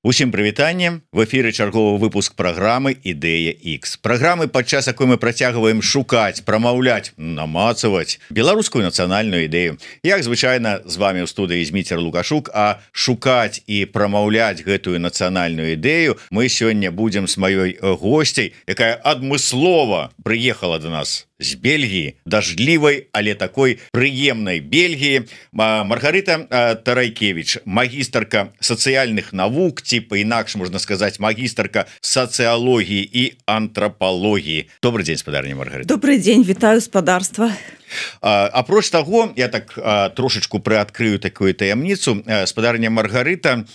Усім прывітанне, в эфіры чарговы выпуск праграмы Ідэя X. Праграмы, падчас якой мы працягваем шукаць, прамаўляць, намацаваць беларускую нацыянальную ідэю. Як звычайна з вами ў студыі Зміцер Лукашук, а шукаць і прамаўляць гэтую нацыянальную ідэю мы сёння будзем з маёй госцяй, якая адмыслова прыехала до нас з Бельгіі, дажджлівай, але такой прыемнай Бельгіі. Маргарыта Тарайкевич, магістарка сацыяльных навук, типа інакш можна сказаць, магістарка сацыялогіі і антрапалогіі. Добрый дзень, спадарня Маргарыта. Добрый дзень, вітаю спадарства. Апроч таго, я так трошечку прыадкрыю такую таямніцу. Спадарня Маргарыта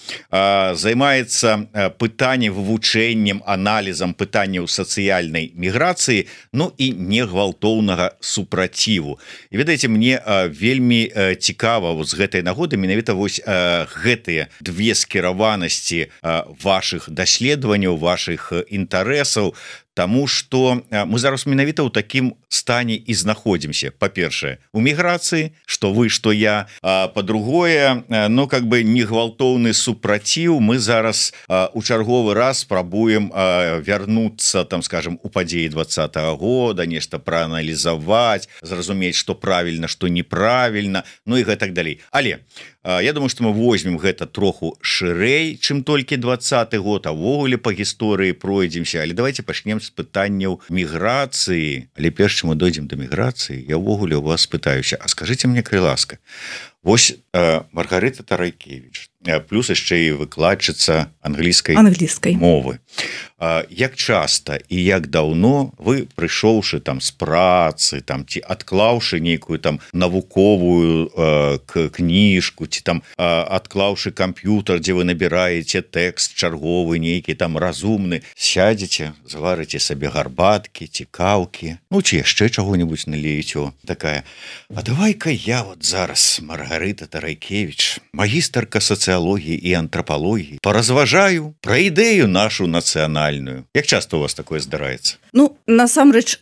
займаецца пытаннем, вывучэннем, аналізам пытанняў сацыяльнай міграцыі, ну і негвалтоўнага супраціву. І ведаеце, мне вельмі цікава з гэтай нагоды менавіта вось гэтыя две скіраванасці вашых даследаванняў, вашых інтарэсаў, Таму што мы зараз менавіта ў такім стане і знаходзімся. Па-першае, у міграцыі, што вы, што я. Па-другое, ну, как бы негвалтоўны супраціў. Мы зараз у чарговы раз спрабуем вярнуцца, там, скажем, у падзеі 20-го года, нешта прааналізаваць, зразумець, што правільна, што неправільна, ну і гэтак далей. Але я думаю, што мы возьмем гэта троху шырэй, чым толькі 20-й год, а ввогуле па гісторыі пройдземся. Але давайте пачнем з пытанняў міграцыі. Але перш чым мы дойдзем да міграцыі, я ўвогуле у вас спытаюся, а скажыце мне, калі ласка, вось Маргарыта Тарайкевич, плюс яшчэ і выкладчыца англійскай мовы. Як часта і як даўно вы, прыйшоўшы там з працы, там, ці адклаўшы нейкую там навуковую кніжку, ці там адклаўшы камп'ютар, дзе вы набіраеце тэкст чарговы, нейкі там разумны, сядзеце, заварыце сабе гарбаткі, ці каўкі, ну, ці яшчэ чаго-небудзь налейце, такая. А давай-ка я вот зараз, Маргарыта Тарайкевич, магістарка сацыялогіі і антрапалогіі, паразважаю пра ідэю нашу нацыянальную. Як часта у вас такое здараецца? Ну, насамрэч,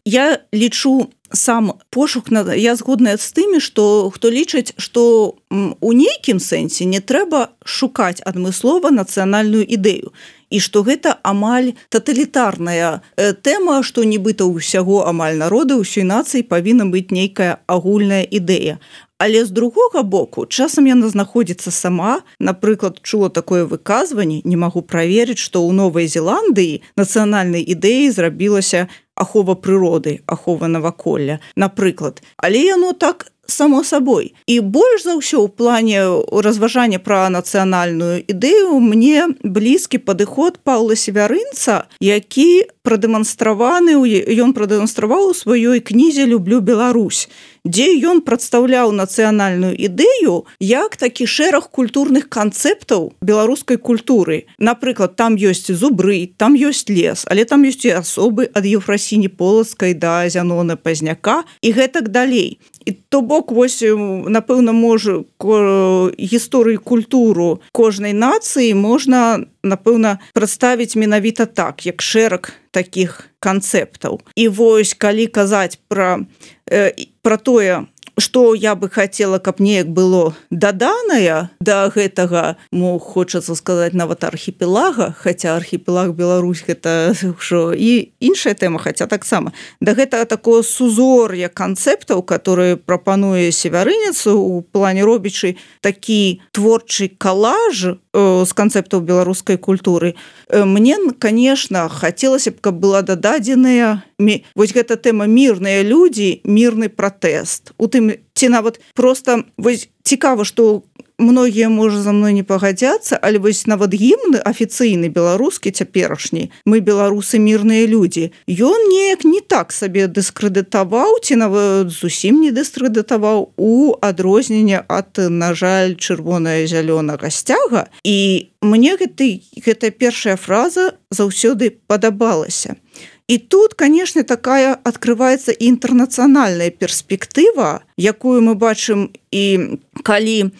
я лічу сам пошук, я згодная з тымі, што хто лічыць, што у нейкім сэнсе не трэба шукаць адмыслова нацыянальную ідэю. І што гэта амаль таталітарная тэма, што нібыта ўсяго амаль народа, ўсёй нацыі павінна быць нейкая агульная ідэя. Але з другога боку, часам яна знаходзіцца сама. Напрыклад, чула такое выказванне, не магу праверыць, што ў Новай Зеландыі нацыянальнай ідэяй зрабілася ахова прыроды, ахова наваколля, напрыклад. Але яно так само сабой. І больш за ўсё ў плане разважання пра нацыянальную ідэю мне блізкі падыход Паўла Севярынца, які ён прадэманстраваў у сваёй кнізе «Люблю Беларусь», дзе ён прадстаўляў нацыянальную ідэю як такі шэраг культурных канцэптаў беларускай культуры. Напрыклад, там ёсць зубры, там ёсць лес, але там ёсць і асобы ад Еўфрасіні Полацкай да Зянона Пазняка і гэтак далей. І то бок, вось, напэўна, можа, гісторыю, культуру кожнай нацыі можна, напэўна, прадставіць менавіта так, як шэраг такіх канцэптаў. І вось, калі казаць пра тое, што я бы хацела, каб неяк было даданае да гэтага, хочацца сказаць, нават архіпелага, хаця архіпелаг Беларусь гэта ўжо і іншая тэма, хаця таксама, да гэтага такого сузор'я канцэптаў, которые прапануе Севярынец у плане робячы такі творчы калаж з канцэптаў беларускай культуры. Мне, конечно, хацелася б, каб была дададзеная вось гэта тэма мірныя людзі, мірны пратэст. У тым, ці нават проста вось цікава, што многія, можа, за мной не пагадзяцца, але вось нават гімн афіцыйны беларускі цяперашні, мы беларусы мірныя людзі, ён неяк не так сабе дыскрэдытаваў, ці нават зусім не дыскрэдытаваў у адрозненне ад, на жаль, чырвона-зялёнага сцяга. І мне гэтая першая фраза заўсёды падабалася. І тут, конечно, такая открывается і інтэрнацыянальная перспектыва, якую мы бачым і калі,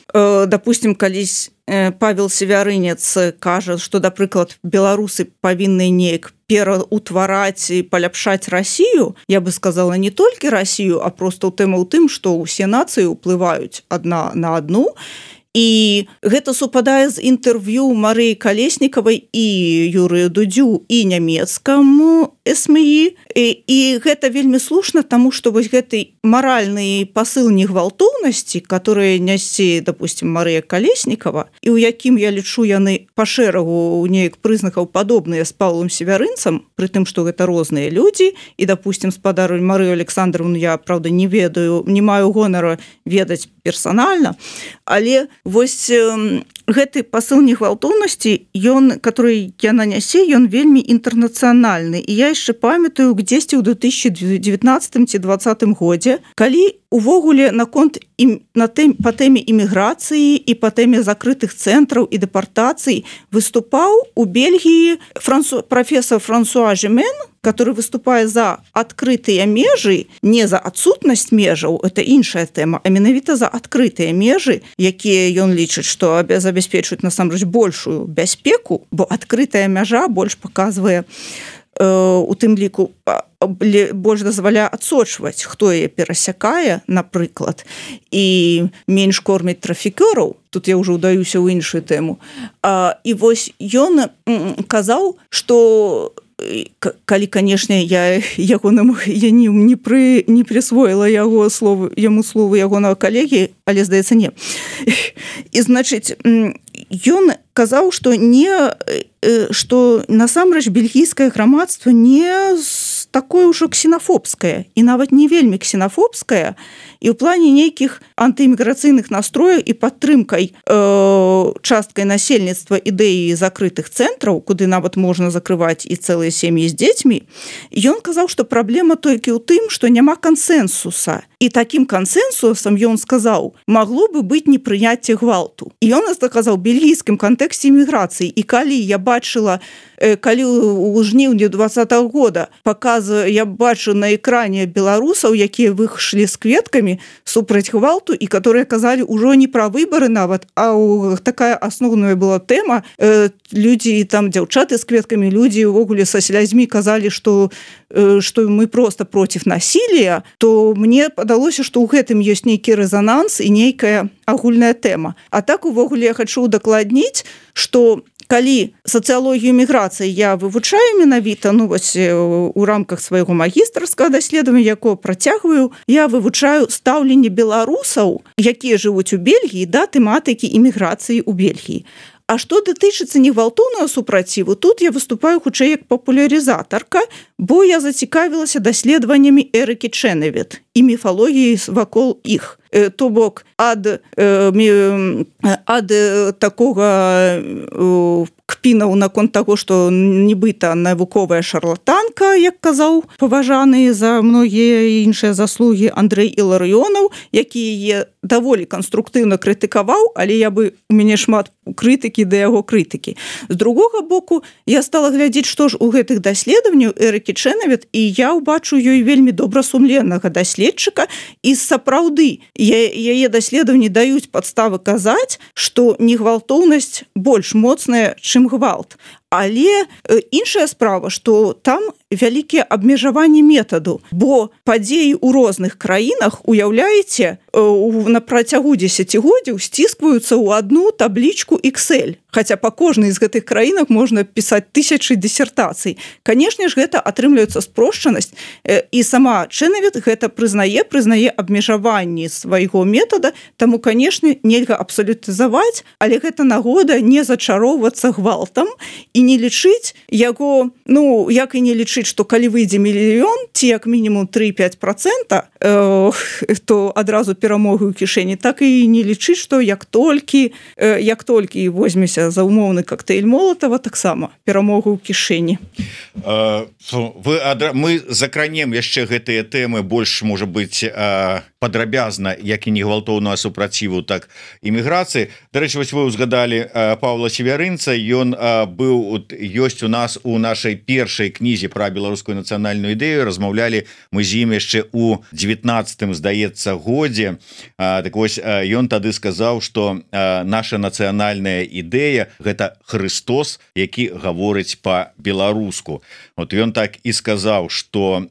допустим, калісь Павел Севярынец кажа, што, напрыклад, беларусы павінны неяк пераўтвараць і паляпшаць Расію, я бы сказала не толькі Расію, а проста тэма ў тым, што ўсе нацыі ўплываюць адна на адну. і гэта супадае з інтэрв'ю Марыі Калеснікавай і Юрыю Дудзю і нямецкаму СМІ, і гэта вельмі слушна, таму што вось гэты маральны пасыл негвалтоўнасці, который нясе, допустим, Марыя Калеснікава, і ў якім я лічу яны па шэрагу неяк прызнакаў падобныя з Паўлам Севярынцам, пры тым, што гэта розныя людзі, і, допустим, спадару Марыю Александровну я, правда, не ведаю, не маю гонару ведаць персанальна, але вось гэты пасыл негвалтоўнасці, ён, который яна нясе, ён вельмі інтэрнацыянальны. І я яшчэ памятаю, дзесьці ў 2019 ці 2020 годзе, калі увогуле наконт па тэме іміграцыі і па тэме закрытых цэнтраў і дэпартацый выступаў у Бельгіі профессор Франсуа Жемен, который выступае за адкрытыя межы, не за адсутнасць межаў, это іншая тэма, а менавіта за адкрытыя межы, якія ён лічыць, што забяспечваюць насамрэч большую бяспеку, бо адкрытая мяжа больш паказвае у тым ліку больш дазваляе адсочваць, хто яе перасякае, напрыклад, і менш корміць трафікёраў. Тут я ўжо ўдаюся ў іншую тэму. І вось ён казаў, што калі, канешне, я не присвоіла яго яму словы ягонага калегі, але, здаецца, не. І, значыць, ён казаў, што насамрэч бельгійскае грамадства не такое ўжо ксенафобскае, і нават не вельмі ксенафобскае, і ў плане нейкіх антыіміграцыйных настрояў і падтрымкай часткай насельніцтва ідэі закрытых цэнтраў, куды нават можна закрываць і цэлыя сем'і з дзецьмі, ён казаў, што праблема толькі ў тым, што няма кансэнсуса. І такім кансэнсусам, ён сказаў, магло бы быць непрыняцце гвалту. І ён сказаў, бельгійскім кантэксце іміграцыі. І калі я бачыла, калі ў жніўні 2020 года я бачу на экране беларусаў, якія выйшлі з кветкамі супраць гвалту, і которые казалі ўжо не пра выбары нават, а такая асноўная была тэма. Людзі, там дзяўчаты з кветкамі, людзі увогуле са слязьмі казалі, што мы просто против насилия, то мне падалося, што ў гэтым ёсць нейкі рэзананс і нейкая агульная тэма. А так увогуле я хочу удакладніць, што калі сацыялогію міграцыі я вывучаю менавіта, у рамках свайго магістарскага даследавання, якое працягваю, я вывучаю стаўленне беларусаў, якія жывуць у Бельгіі, да тэматыкі іміграцыі ў Бельгіі. А што датычыцца негвалтоўнага супраціву, тут я выступаю хутчэй як папулярызатарка, бо я зацікавілася даследаваннямі Эрыкі Чэнэвіт і міфалогіі вакол іх. То бок ад такога кпінаў наконт таго, што нібыта навуковая шарлатанка, як казаў паважаны за многія іншыя заслугі Андрэй Іларыёнаў, які яе даволі канструктыўна крытыкаваў, але у мяне шмат крытыкі да яго крытыкі. З другога боку, я стала глядзець, што ж у гэтых даследаванняў Эрыкі Чэнэвіт, і я ўбачу ёй вельмі добрасумленнага даследчыка, і сапраўды яе даследаванні даюць падставы казаць, што негвалтоўнасць больш моцная, чым гвалт. Але іншая справа, што там вялікія абмежаванні метаду, бо падзеі ў розных краінах, уяўляеце, на працягу дзесяцігоддзяў сціскваюцца ў одну таблічку Excel. Хаця па кожнай з гэтых краінах можна пісаць тысячы дысертацый. Канешне ж, гэта атрымліваецца спрошчанасць, і сама Чэнэвіт гэта прызнае абмежаванні свайго метада, таму, канешне, нельга абсалютызаваць, але гэта нагода не зачароўвацца гвалтам і не лічыць яго, як і не лічыць, што калі выйдзе мільён, ці як мінімум 3-5%, то адразу перамогу ў кішэні, так і не лічыць, што як толькі возьмеся за умоўны коктейль Молотова, таксама перамогу ў кішэні. Мы закранем яшчэ гэтыя тэмы больш, можа быць, падрабязна, як і негвалтоўнага супраціву, так іміграцыі. Дарэчы, вось вы ўзгадалі Паўла Севярынца, ён ёсць у нас у нашай першай кнізе пра беларускую нацыянальную ідэю, размаўлялі мы з ім яшчэ у 19-м, здаецца, годзе. Так вось, ён тады сказаў, што наша нацыянальная ідэя – гэта Христос, які гаворыць па-беларуску. Ён так і сказаў, што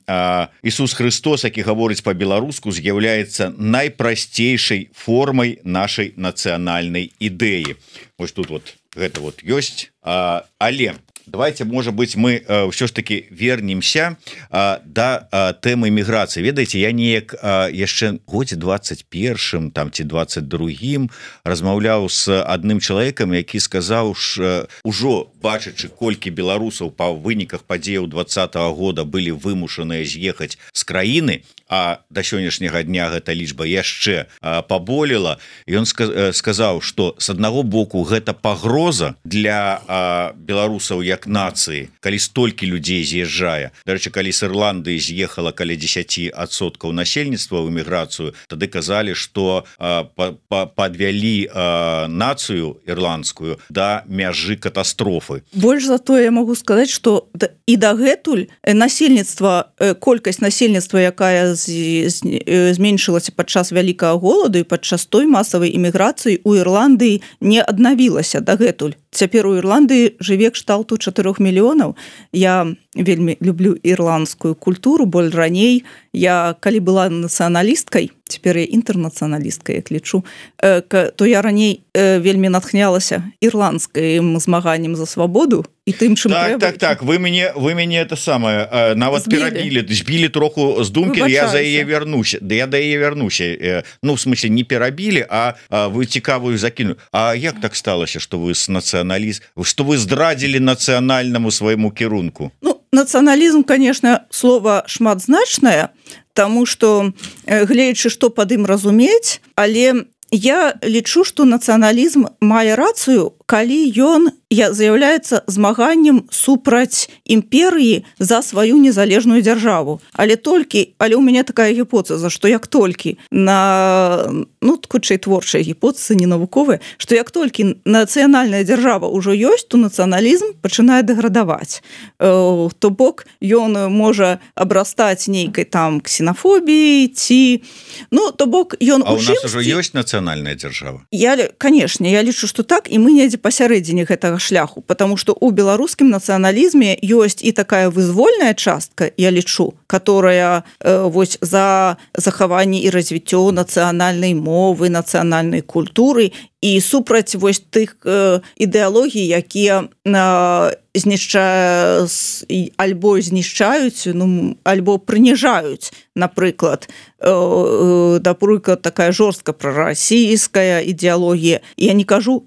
Ісус Христос, які гаворыць па-беларуску, з'яўляецца з'яўляецца найпрасцейшай формай нашай нацыянальнай ідэі. Вось тут вот гэта вот ёсць, але давайте, можа быть, мы ўсё ж таки вернемся да тэмы міграцыі. Ведаеце, я неяк яшчэ годзе 21 там ці 22 размаўляў з адным чалавекам, які сказаў, ужо бачачы, колькі беларусаў па выніках падзеяў 20-го года былі вымушаныя з'ехаць з краіны, а да сённяшняга дня гэта лічба яшчэ паболела. Ён сказаў, што з аднаго боку гэта пагроза для беларусаў як нацыі, калі столькі людзей з'язджае. Дарэчы, калі з Ірландыі з'ехала каля 10% насельніцтва ў эміграцыю, тады казалі, што падвялі нацыю ірландскую да мяжы катастрофы. Больш за тое, я могу сказаць, што і дагэтуль насельніцтва, колькасць насельніцтва, якая зменшылася падчас вялікага голаду і падчас той масавай эміграцыі у Ірландыі не аднавілася дагэтуль. Цяпер у Ірландыі жыве кшталту 4 мільёнаў. Я вельмі люблю ірландскую культуру, боль раней. Я, калі была нацыяналісткай, цяпер я інтэрнацыяналісткай, як лічу, то я раней вельмі натхнялася ірландскім змаганнем за свабоду і тым, чым трэба. Так, вы мяне это самае нават перабілі, збілі троху з думкі, я за яе вярнуся. Я да яе вярнуся. Ну, в смысле, не перабілі, а вы цікавую закінули. А як так сталася, што вы з што вы здрадзілі нацыянальнаму свайму кірунку? Ну, нацыяналізм, конечно, слово шматзначнае, таму што, гледзячы, што пад ім разумець, але я лічу, што нацыяналізм мае рацыю, калі ён з'яўляецца змаганнем супраць імперыі за сваю незалежную дзяржаву. Але ў мяне такая гіпотэза, што як толькі хутчэй творчая гіпотэза, не навуковая, што як толькі нацыянальная дзяржава ўжо ёсць, то нацыяналізм пачынае дэградаваць. То бок ён можа абрастаць нейкай там ксенафобіяй ці... Ну, то бок ён у нас ужо ёсць нацыянальная дзяржава? Канешне, я лічу, што так, і мы недзе пасярэдзіне гэтага шляху, потому что у беларускім нацыяналізме ёсць і такая вызвольная частка, я лічу, которая вось за захаванне і развіццё нацыянальнай мовы, нацыянальнай культуры і супраць вось тых ідэалогій, якія альбо знішчаюць, альбо прыніжаюць, напрыклад, такая жорстка прарасійская ідэалогія. Я не кажу,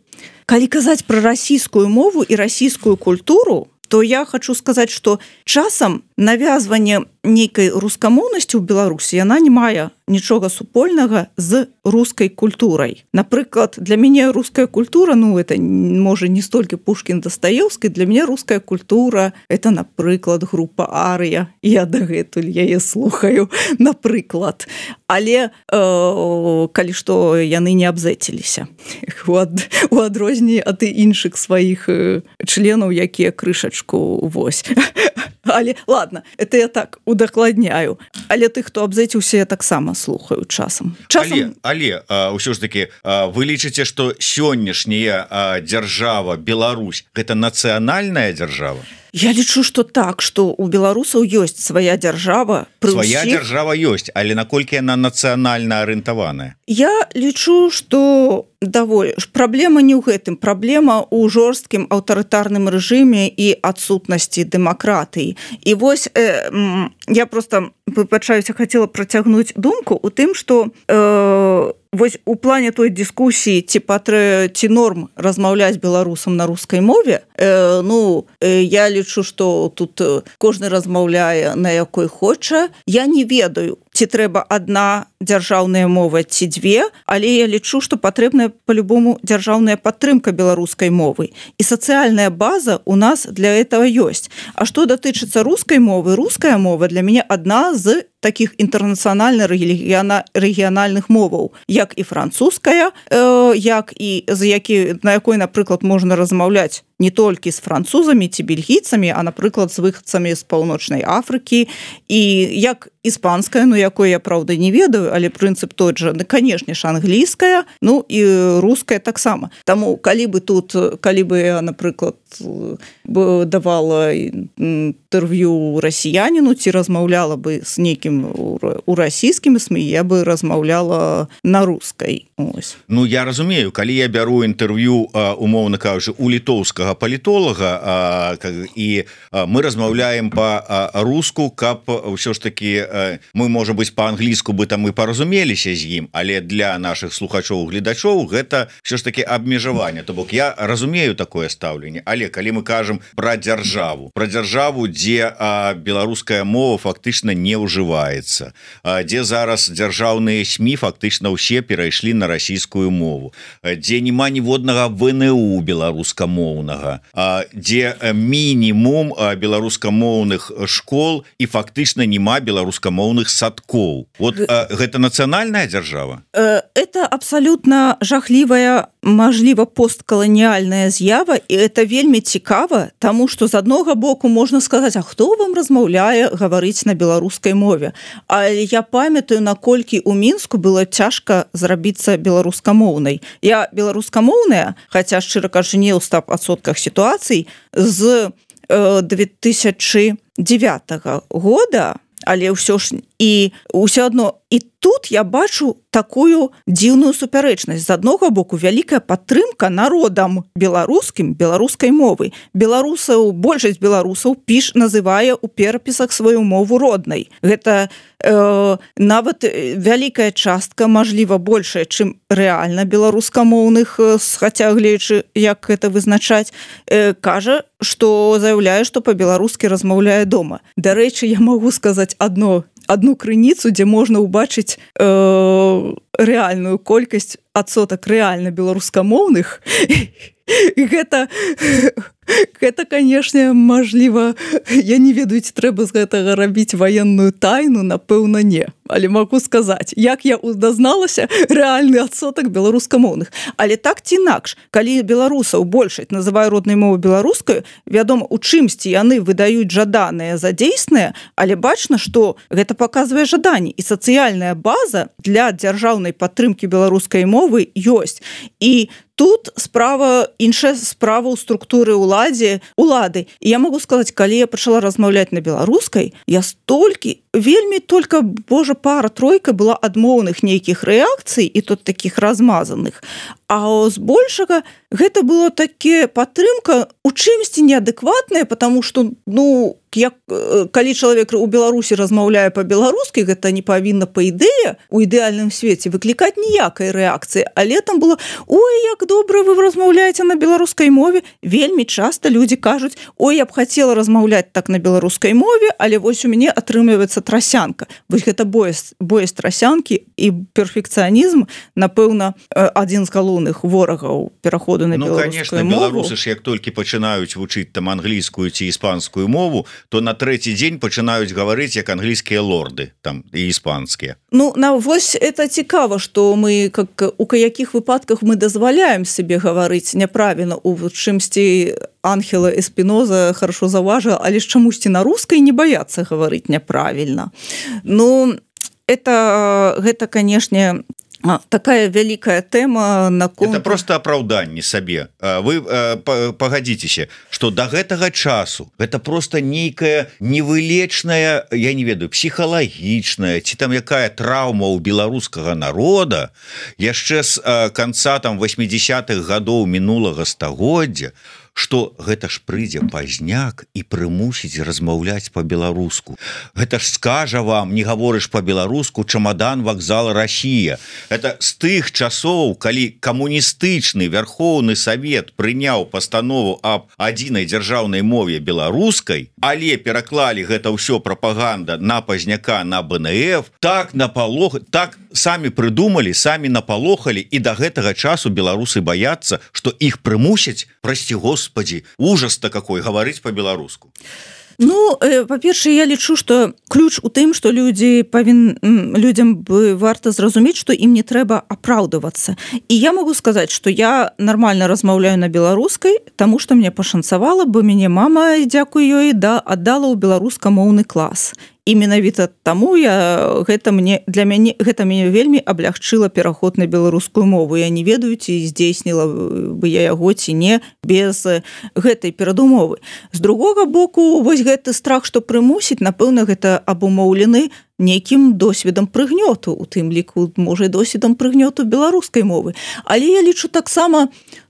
калі казаць пра расійскую мову і расійскую культуру, то я хочу сказаць, што часам навязванне нейкай рускамоўнасці ў Беларусі, яна не мае нічога супольнага з рускай культурай. Напрыклад, для мяне руская культура, это можа не столькі Пушкін Дастаеўскай, для мяне руская культура это, напрыклад, група Арыя. Я дагэтуль яе слухаю, напрыклад. Але калі што, яны не абзэціліся у адрозненні ад іншых сваіх членаў, якія крышачку вось. Але, ладно, это я так удакладняю. Але тых, хто абзэціўся, я таксама слухаю часам. Але ўсё ж таки, вы лічыце, што сённяшняя дзяржава Беларусь гэта нацыянальная дзяржава? Я лічу, што так, што у беларусаў ёсць свая дзяржава. Свая дзяржава ёсць, але наколькі яна нацыянальна арыентаваная? Я лічу, што праблема не ў гэтым. Праблема ў жорсткім аўтарытарным рэжыме і адсутнасці дэмакратыі. І вось я просто хацела працягнуць думку у тым, што вось у плане той дыскусіі ці норм размаўляць беларусам на рускай мове, я лічу, што тут кожны размаўляе на якой хоча. Я не ведаю, ці трэба адна дзяржаўная мова ці дзве, але я лічу, што патрэбная по-любому дзяржаўная падтрымка беларускай мовы. І сацыяльная база у нас для этого ёсць. А што датычыцца рускай мовы, руская мова для мяне адна з таких інтэрнацыянальных рэгіянальных моваў, як і французская, на якой, напрыклад, можна размаўляць не толькі з французамі ці бельгійцамі, а, напрыклад, з выхадцамі з Паўночнай Афрыкі, і як іспанская, якой я, правда, не ведаю, але прынцып той жа, канешне ж, англійская, і руская таксама. Таму, калі бы я, напрыклад, давала інтэрв'ю расіяніну, ці размаўляла бы з нейкім у расійскім СМІ я бы размаўляла на рускай. Ось. Ну я разумею, калі я бяру інтэрв'ю умоўна кажучы у літоўскага палітолага і мы размаўляем па-руску, каб ўсё ж таки мы можа быць па-англійску бы там і паразумеліся з ім, але для наших слухачоў гледачоў гэта все ж таки абмежаванне. То бок я разумею такое стаўленне, але калі мы кажам про дзяржаву, дзе беларуская мова фактычна не ўжываецца, дзе зараз дзяржаўныя СМІ фактычна ўсе перайшлі на расійскую мову, дзе няма ніводнага ВНУ беларускамоўнага, дзе мінімум беларускамоўных школ і фактычна няма беларускамоўных садкоў. Вот гэта нацыянальная дзяржава? Это абсолютно жахлівая, мажліва, посткаланіальная з'ява, і это вельмі цікава, таму што з аднога боку можна сказаць, а хто вам размаўляе гаварыць на беларускай мове? Але я памятаю, наколькі ў Мінску было цяжка зрабіцца беларускамоўнай. Я беларускамоўная, хаця, шчыра кажучы, не ў 100% сітуацый, з 2009 года, але ўсё ж і ўсё адно і тут я бачу такую дзіўную супярэчнасць. З аднога боку вялікая падтрымка народам беларускім, беларускай мовы. Беларусаў, большасць беларусаў называе ў перапісах сваю мову роднай. Гэта нават вялікая частка, мажліва, большая, чым рэальна беларускамоўных, хаця гледзячы, як гэта вызначаць, кажа, што заяўляе, што па-беларускі размаўляе дома. Дарэчы, я магу сказаць одну крыніцу, дзе можна ўбачыць рэальную колькасць адсотак рэальна беларускамоўных. Гэта, канешне, мажліва, я не ведаю, ці трэба з гэтага рабіць ваенную тайну, напэўна, не. Але магу сказаць, як я дазналася, рэальны адсотак беларускамоўных. Але так ці інакш, калі беларусаў большасць называе роднай мовай беларускаю, вядома, у чымсьці яны выдаюць жаданае за дзейснае, але бачна, што гэта паказвае жаданне, і сацыяльная база для дзяржаўнай падтрымкі беларускай мовы ёсць. І тут іншая справа ў структуры улады. І я могу сказаць, калі я пачала размаўляць на беларускай, я вельмі только, божа, пара-тройка была адмоўных нейкіх рэакцый, і тут такіх размазаных. А збольшага гэта было таке падтрымка у чымсьці неадэкватная, потому што, калі чалавек у Беларусі размаўляе па-беларускі, гэта не павінна па ідэе у ідэальным свеце выклікаць ніякай рэакцыі. Але там было: ой, як добра вы размаўляеце на беларускай мове. Вельмі часта людзі кажуць: ой, я б хацела размаўляць так на беларускай мове, але вось у мяне атрымліваецца трасянка. Вось гэта боязь трасянкі і перфекцыянізм, напэўна, адзін з галоўных ворагаў пераходу на беларускую мову. Конечно, беларусы ж як толькі пачынаюць вучыць там англійскую ці іспанскую мову, то на трэці дзень пачынаюць гаварыць як англійскія лорды там і іспанскія. Вось это цікава, што мы у якіх выпадках мы дазваляем себе гаварыць няправільна, у чымсьці Анхела Эспіноза хорошо заўважыла, але ж чамусьці на рускай не баяцца гаварыць няправільна. Гэта, канешне, такая вялікая тэма наконт... Это просто апраўданне сабе. Вы пагадзіцеся, што да гэтага часу гэта просто нейкая невылечная, я не ведаю, псіхалагічная ці там якая траўма ў беларускага народа яшчэ з канца там 80-х гадоў мінулага стагоддзя, што гэта ж прыйдзе пазняк і прымусіць размаўляць па-беларуску. Гэта ж скажа вам, не гаворыш па-беларуску, чамадан вакзала Расія. Это з тых часоў, калі камуністычны Верхоўны Савет прыняў пастанову аб адзінай дзяржаўнай мове беларускай, але пераклалі гэта ўсё прапаганда на пазняка, на БНФ, так самі прыдумалі, самі напалохалі, і да гэтага часу беларусы баяцца, што іх прымусяць, прасці Господи, ужас-то какой, гаварыць по-беларуску. Па-першае, я лічу, што ключ у тым, што людзям бы варта зразумець, што ім не трэба апраўдавацца. І я могу сказаць, што я нармальна размаўляю на беларускай, таму што мне пашанцавала, бо мяне мама, дзякуй ёй, аддала ў беларускамоўны клас. і менавіта таму для мяне гэта мяне вельмі аблягчыла пераход на беларускую мову. Я не ведаю, ці здзейсніла бы я яго ці не без гэтай перадумовы. З другога боку, вось гэты страх, што прымусіць, напэўна, гэта абумоўлены нейкім досведам прыгнёту, у тым ліку, можа, досведам прыгнёту беларускай мовы. Але я лічу таксама,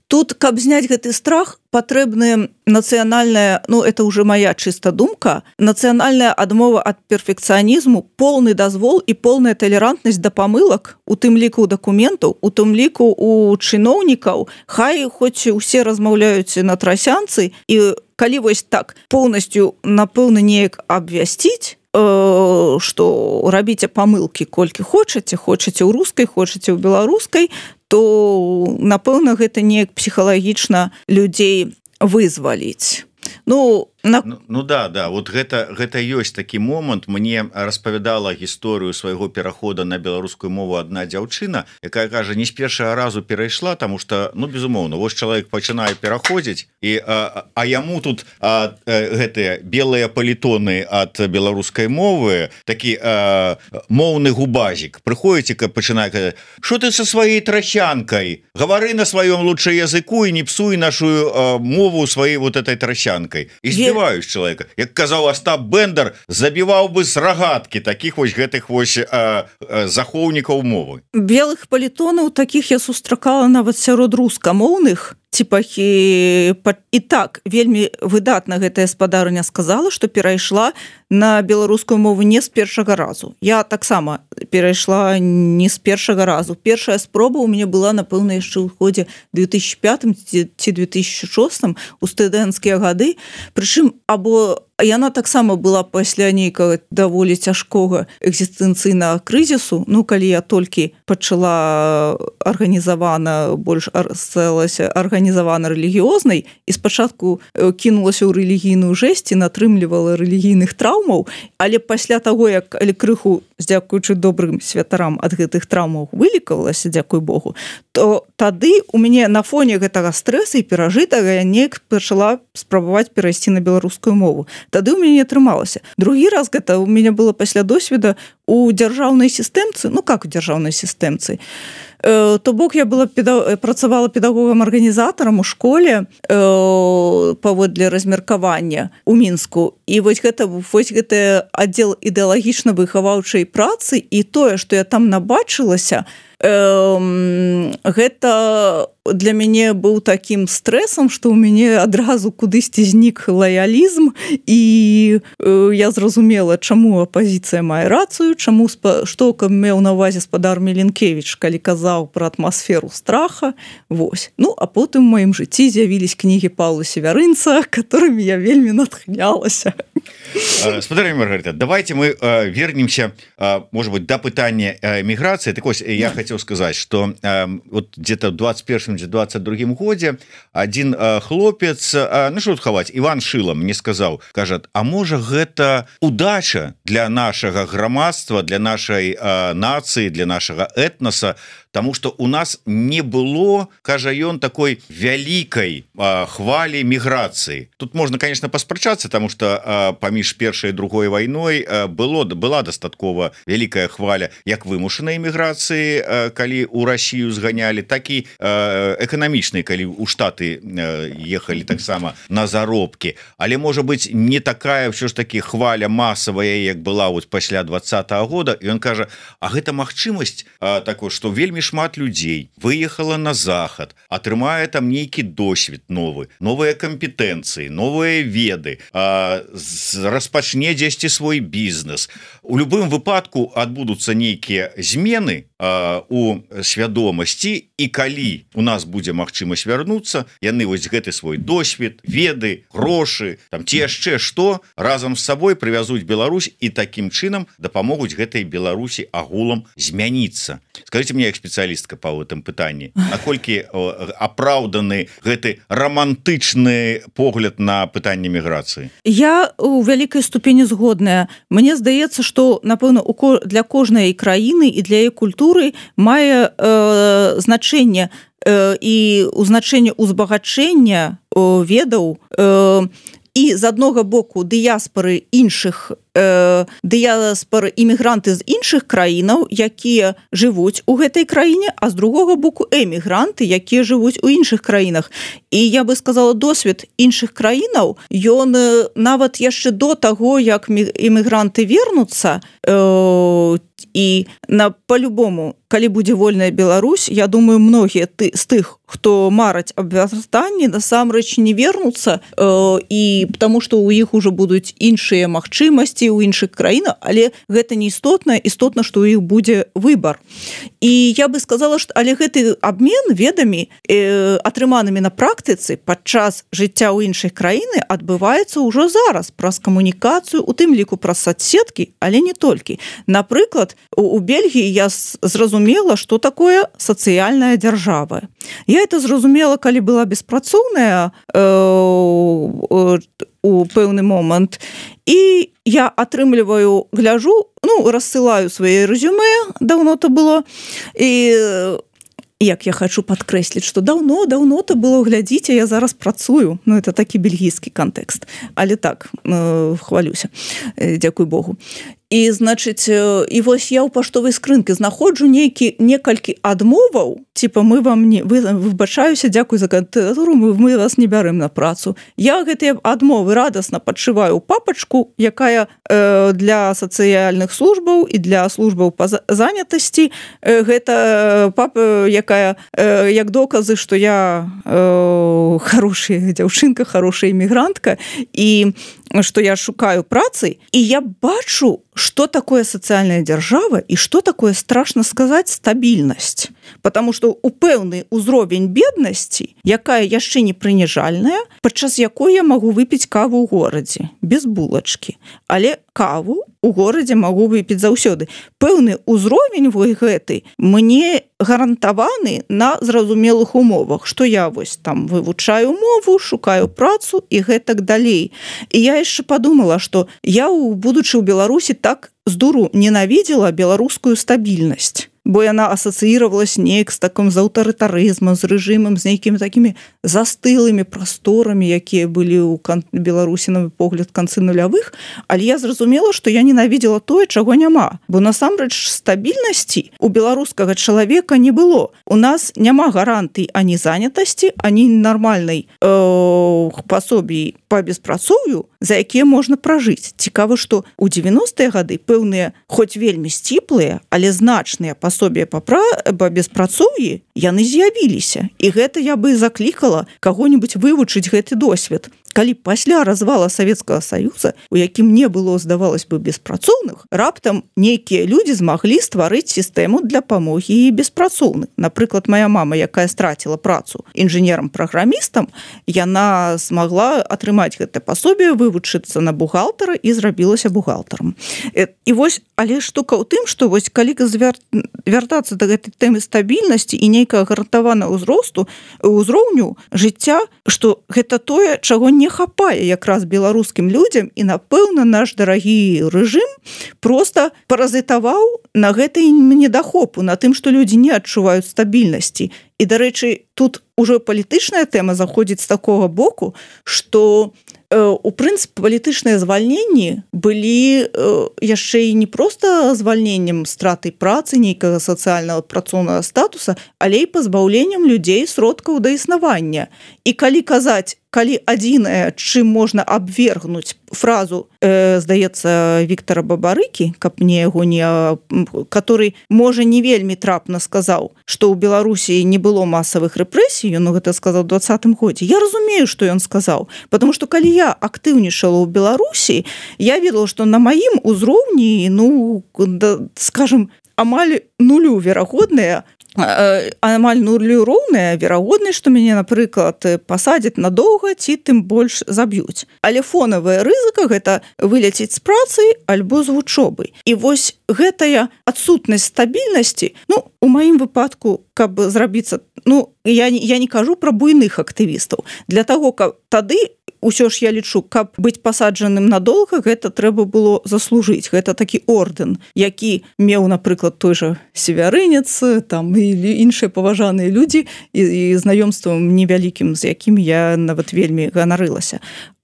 тут, каб зняць гэты страх, патрэбная нацыянальная, это уже моя чыста думка, нацыянальная адмова ад перфекцыянізму, полны дазвол і полная талерантнасць да памылак, у тым ліку дакументаў, у тым ліку у чыноўнікаў, хай хоць усе размаўляюць на трасянцы, і калі вось так поўнасцю, напэўна, неяк абвясціць, што рабіце памылкі колькі хочаце ў рускай, хочаце ў беларускай, то, напэўна, гэта неяк псіхалагічна людзей вызваліць. Да, вот гэта ёсць такі момант. Мне распавядала гісторыю свайго перахода на беларускую мову адна дзяўчына, якая кажа, не з першага разу перайшла, таму што, безумоўна, вось чалавек пачынае пераходзіць, а яму тут гэтыя белыя палітоны ад беларускай мовы, такі моўны губазік, прыходзіць, каб пачынае казаць, што ты са сваёй трасянкай, гавары на сваём лучше языку і не псуй нашу мову сваёй вот этой трасянкай. І збіваюць чалавека. Як казаў Астап Бендер, забіваў бы з рагаткі такіх вось гэтых вось захоўнікаў мовы. Белых палітонаў такіх я сустракала нават сярод рускамоўных, і так вельмі выдатна гэтая спадарня сказала, што перайшла на беларускую мову не з першага разу. Я таксама перайшла не з першага разу. Першая спроба ў мяне была, напэўна, яшчэ ў годзе 2005 ці 2006 у студэнцкія гады. Прычым, або яна таксама была пасля нейкага даволі цяжкога экзістэнцыйнага крызісу. Калі я толькі пачала больш сталася арганізавана рэлігіёзнай і спачатку кінулася ў рэлігійную жэсць і натрымлівала рэлігійных траўмаў, але пасля таго, як крыху, дзякуючы добрым святарам, ад гэтых траўмаў вылікавалася, дзякуй Богу, то тады у мяне на фоне гэтага стрэса і перажытага я неяк пачала спрабаваць перайсці на беларускую мову. Тады ў мяне не атрымалася. Другі раз гэта у мяне было пасля досведа у дзяржаўнай сістэмцы, у дзяржаўнай сістэмцы. То бок я працавала педагогам-арганізатарам у школе паводле размеркавання ў Мінску. І вось гэты аддзел ідэалагічна-выхаваўчай працы і тое, што я там набачылася, гэта для мяне быў такім стрэсам, што ў мяне адразу кудысьці знік лаялізм, і я зразумела, чаму апазіцыя мае рацыю, што меў на ўвазе спадар Міленкевіч, калі казаў пра атмасферу страха. Вось. А потым у маім жыцці з'явілись кнігі Паўла Севярынца, которыми я вельмі натхнялася. Спадарня Маргарита, давайте мы вернемся, может быть, до пытання міграцыі. Так ось, я хотел сказать, что вот где-то в 21-22 годзе один хлопец, что тут хаваць, Иван Шила мне сказал, кажет, а можа гэта удача для нашага грамадства, для нашай нацыі, для нашага этноса, потому что у нас не было, кажа ён, такой вялікай хвалі міграцыі. Тут можно, конечно, паспрачацца, потому что паміж першай і другой вайной была дастаткова вялікая хваля як вымушанай міграцыі, калі у Россию зганялі, так і эканамічнай, калі у Штаты ехалі таксама на заробкі. Але, можа быть, не такая ўсё ж таки хваля масавая, як была вот пасля 20-го года. І ён кажа, а гэта магчымасць такой, што вельмі шмат людзей выехала на захад, атрымае там нейкі досвед новы, новыя кампетэнцыі, новыя веды, распачне дзесьці свой бізнес. У любым выпадку адбудуцца нейкія змены у свядомасці, і калі у нас будзе магчымасць вярнуцца, яны вось гэты свой досвед, веды, грошы, там ці яшчэ што разам з сабой прывязуць Беларусь і такім чынам дапамогуць гэтай Беларусі агулам змяніцца. Скажите мне, як спецыялістка па гэтым пытанні, наколькі апраўданы гэты романтычны погляд на пытанне міграцыі? Я у вялікай ступені згодная. Мне здаецца, што, напэўна, для кожнай краіны і для яе культуры мае значэнне і ў значэнні ўзбагачэння ведаў і з аднога боку дыяспары іншых дыяспары імігранты з іншых краінаў, якія жывуць у гэтай краіне, а з другога боку эмігранты, якія жывуць у іншых краінах. І я бы сказала, досвед іншых краінаў, ён нават яшчэ до таго, як імігранты вернуцца, і по-любому, калі будзе вольная Беларусь, я думаю, многія з тых, хто мараць аб вяртанні, насамрэч не вернуцца, і потому што ў іх ужо будуць іншыя магчымасці ў іншых краінах, але гэта не істотна, што ў іх будзе выбар. І я бы сказала, што але гэты абмен ведамі, атрыманымі на практыцы падчас жыцця ў іншых краіны адбываецца ўжо зараз праз камунікацыю, у тым ліку праз соцсеткі, але не толькі. Напрыклад, у Бельгіі я зразумела, што такое сацыяльная дзяржава. Я это зразумела, калі была беспрацоўная у пэўны момант, і я атрымліваю, гляжу, рассылаю свае рэзюмэ, даўно то было, і як я хочу падкрэсліць, што даўно то было, глядзіце, я зараз працую. Это такі бельгійскі кантэкст. Але так, хвалюся. Дзякуй Богу. І, значыць, і вось я ў паштовай скрынкі знаходжу некалькі адмоваў, типа мы вам не выбачаюся, дзякуй за кандыдатуру, мы вас не бярым на працу. Я гэтыя адмовы радасна падшываю ў папачку, якая для сацыяльных службаў і для службаў па занятасці. Гэта папа, якая як доказы, што я хорошая дзяўчынка, хорошая імігрантка, і што я шукаю працы, і я бачу, што такое сацыяльная дзяржава і што такое, страшна сказаць, стабільнасць. Потому што у пэўны ўзровень беднасці, якая яшчэ не прыніжальная, падчас якой я магу выпіць каву ў горадзе, без булачкі. Але каву у горадзе магу выпіць заўсёды. Пэўны ўзровень гэты мне гарантаваны на зразумелых умовах, што я вось там вывучаю мову, шукаю працу і гэтак далей. І я яшчэ подумала, што я, будучы ў Беларусі, так з дуру ненавідзела беларускую стабільнасць, бо яна асацыіравалась неяк з таким з аўтарытарызмам, з рэжымам, з нейкімі такімі застылымі прасторамі, якія былі ў Беларусі, на мой погляд, канцы нулявых, але я зразумела, што я ненавідзела тое, чаго няма, бо насамрэч стабільнасці у беларускага чалавека не было. У нас няма гарантый ані занятасці, ані нармальнай пасобі па беспрацоўю, за якія можна пражыць. Цікава, што ў 90-е гады пэўныя, хоць вельмі сціплыя, але значныя пасобі па беспрацоўі, яны з'явіліся. І гэта я бы заклікала каго-нибудь вывучыць гэты досвед. Калі пасля развала Савецкага Саюза, у якім не было, здавалось бы, беспрацоўных, раптам нейкія людзі змаглі стварыць сістэму для памогі і беспрацоўных. Напрыклад, моя мама, якая страціла працу інжынерам-праграмістам, яна смагла атрымаць гэта пасобе, вывучыцца на бухгалтара і зрабілася бухгалтарам. І вось, але штука ў тым, што вось калі вяртацца да гэтай тэмы стабільнасці і нейкага гарантаванага ўзроўню жыцця, што гэта тое, чаго не хапае якраз беларускім людзям, і, напэўна, наш дарагі рэжым проста паразітаваў на гэтай недахопу, на тым, што людзі не адчуваюць стабільнасці. І, дарэчы, тут ужо палітычная тэма заходзіць з такога боку, што у прынцыпе палітычныя звальненні былі яшчэ і не проста звальненнем стратай працы, нейкага сацыяльнага працоўнага статуса, але і пазбаўленнем людзей сродкаў да існавання. І калі казаць, калі адзінае, чым можна абвергнуць фразу, здаецца, Віктара Бабарыкі, каб мне яго не... который, можа, не вельмі трапна сказаў, што ў Беларусі не было масавых рэпрэсій, ён гэта сказаў у 20-м годзе. Я разумею, што ён сказаў, потому што калі я актыўнічала ў Беларусі, я ведала, што на маім узроўні, скажем, амаль нулю верагодная, амаль нулю роўная верагоднасць, што мяне, напрыклад, пасадзяць надоўга ці тым больш заб'юць. Але фонавая рызыка — гэта выляціць з працы альбо з вучобы. І вось гэтая адсутнасць стабільнасці, у маім выпадку, каб зрабіцца, я не кажу пра буйных актывістаў. Для таго, каб тады усё ж я лічу, каб быць пасаджаным надоўга, гэта трэба было заслужыць. Гэта такі ордэн, які меў, напрыклад, той жа Севярынец, там і іншыя паважаныя людзі, і знаёмствам невялікім, з якім я нават вельмі ганарылася.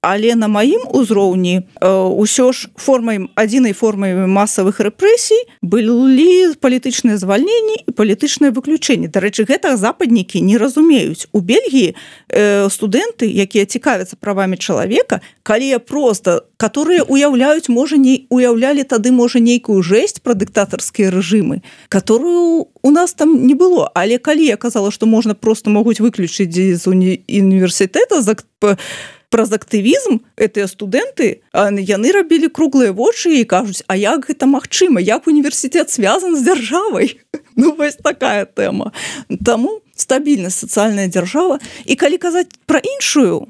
але на маім узроўні ўсё ж адзінай формай масавых рэпрэсій былі палітычныя звальненні і палітычнае выключэнне. Дарэчы, гэта западнікі не разумеюць. У Бельгіі студэнты, якія цікавяцца правамі чалавека, калі просто, которые уяўлялі тады, можа, нейкую жэсць пра дыктатарскія рэжымы, которую у нас там не было. Але калі я казала, што можна просто могуць выключыць з універсітэта праз актывізм, гэтыя студэнты, яны рабілі круглыя вочы і кажуць, а як гэта магчыма? Як універсітэт звязан з дзяржавай? Ну, вось такая тэма. Таму стабільнасць, сацыяльная дзяржава. І калі казаць пра іншую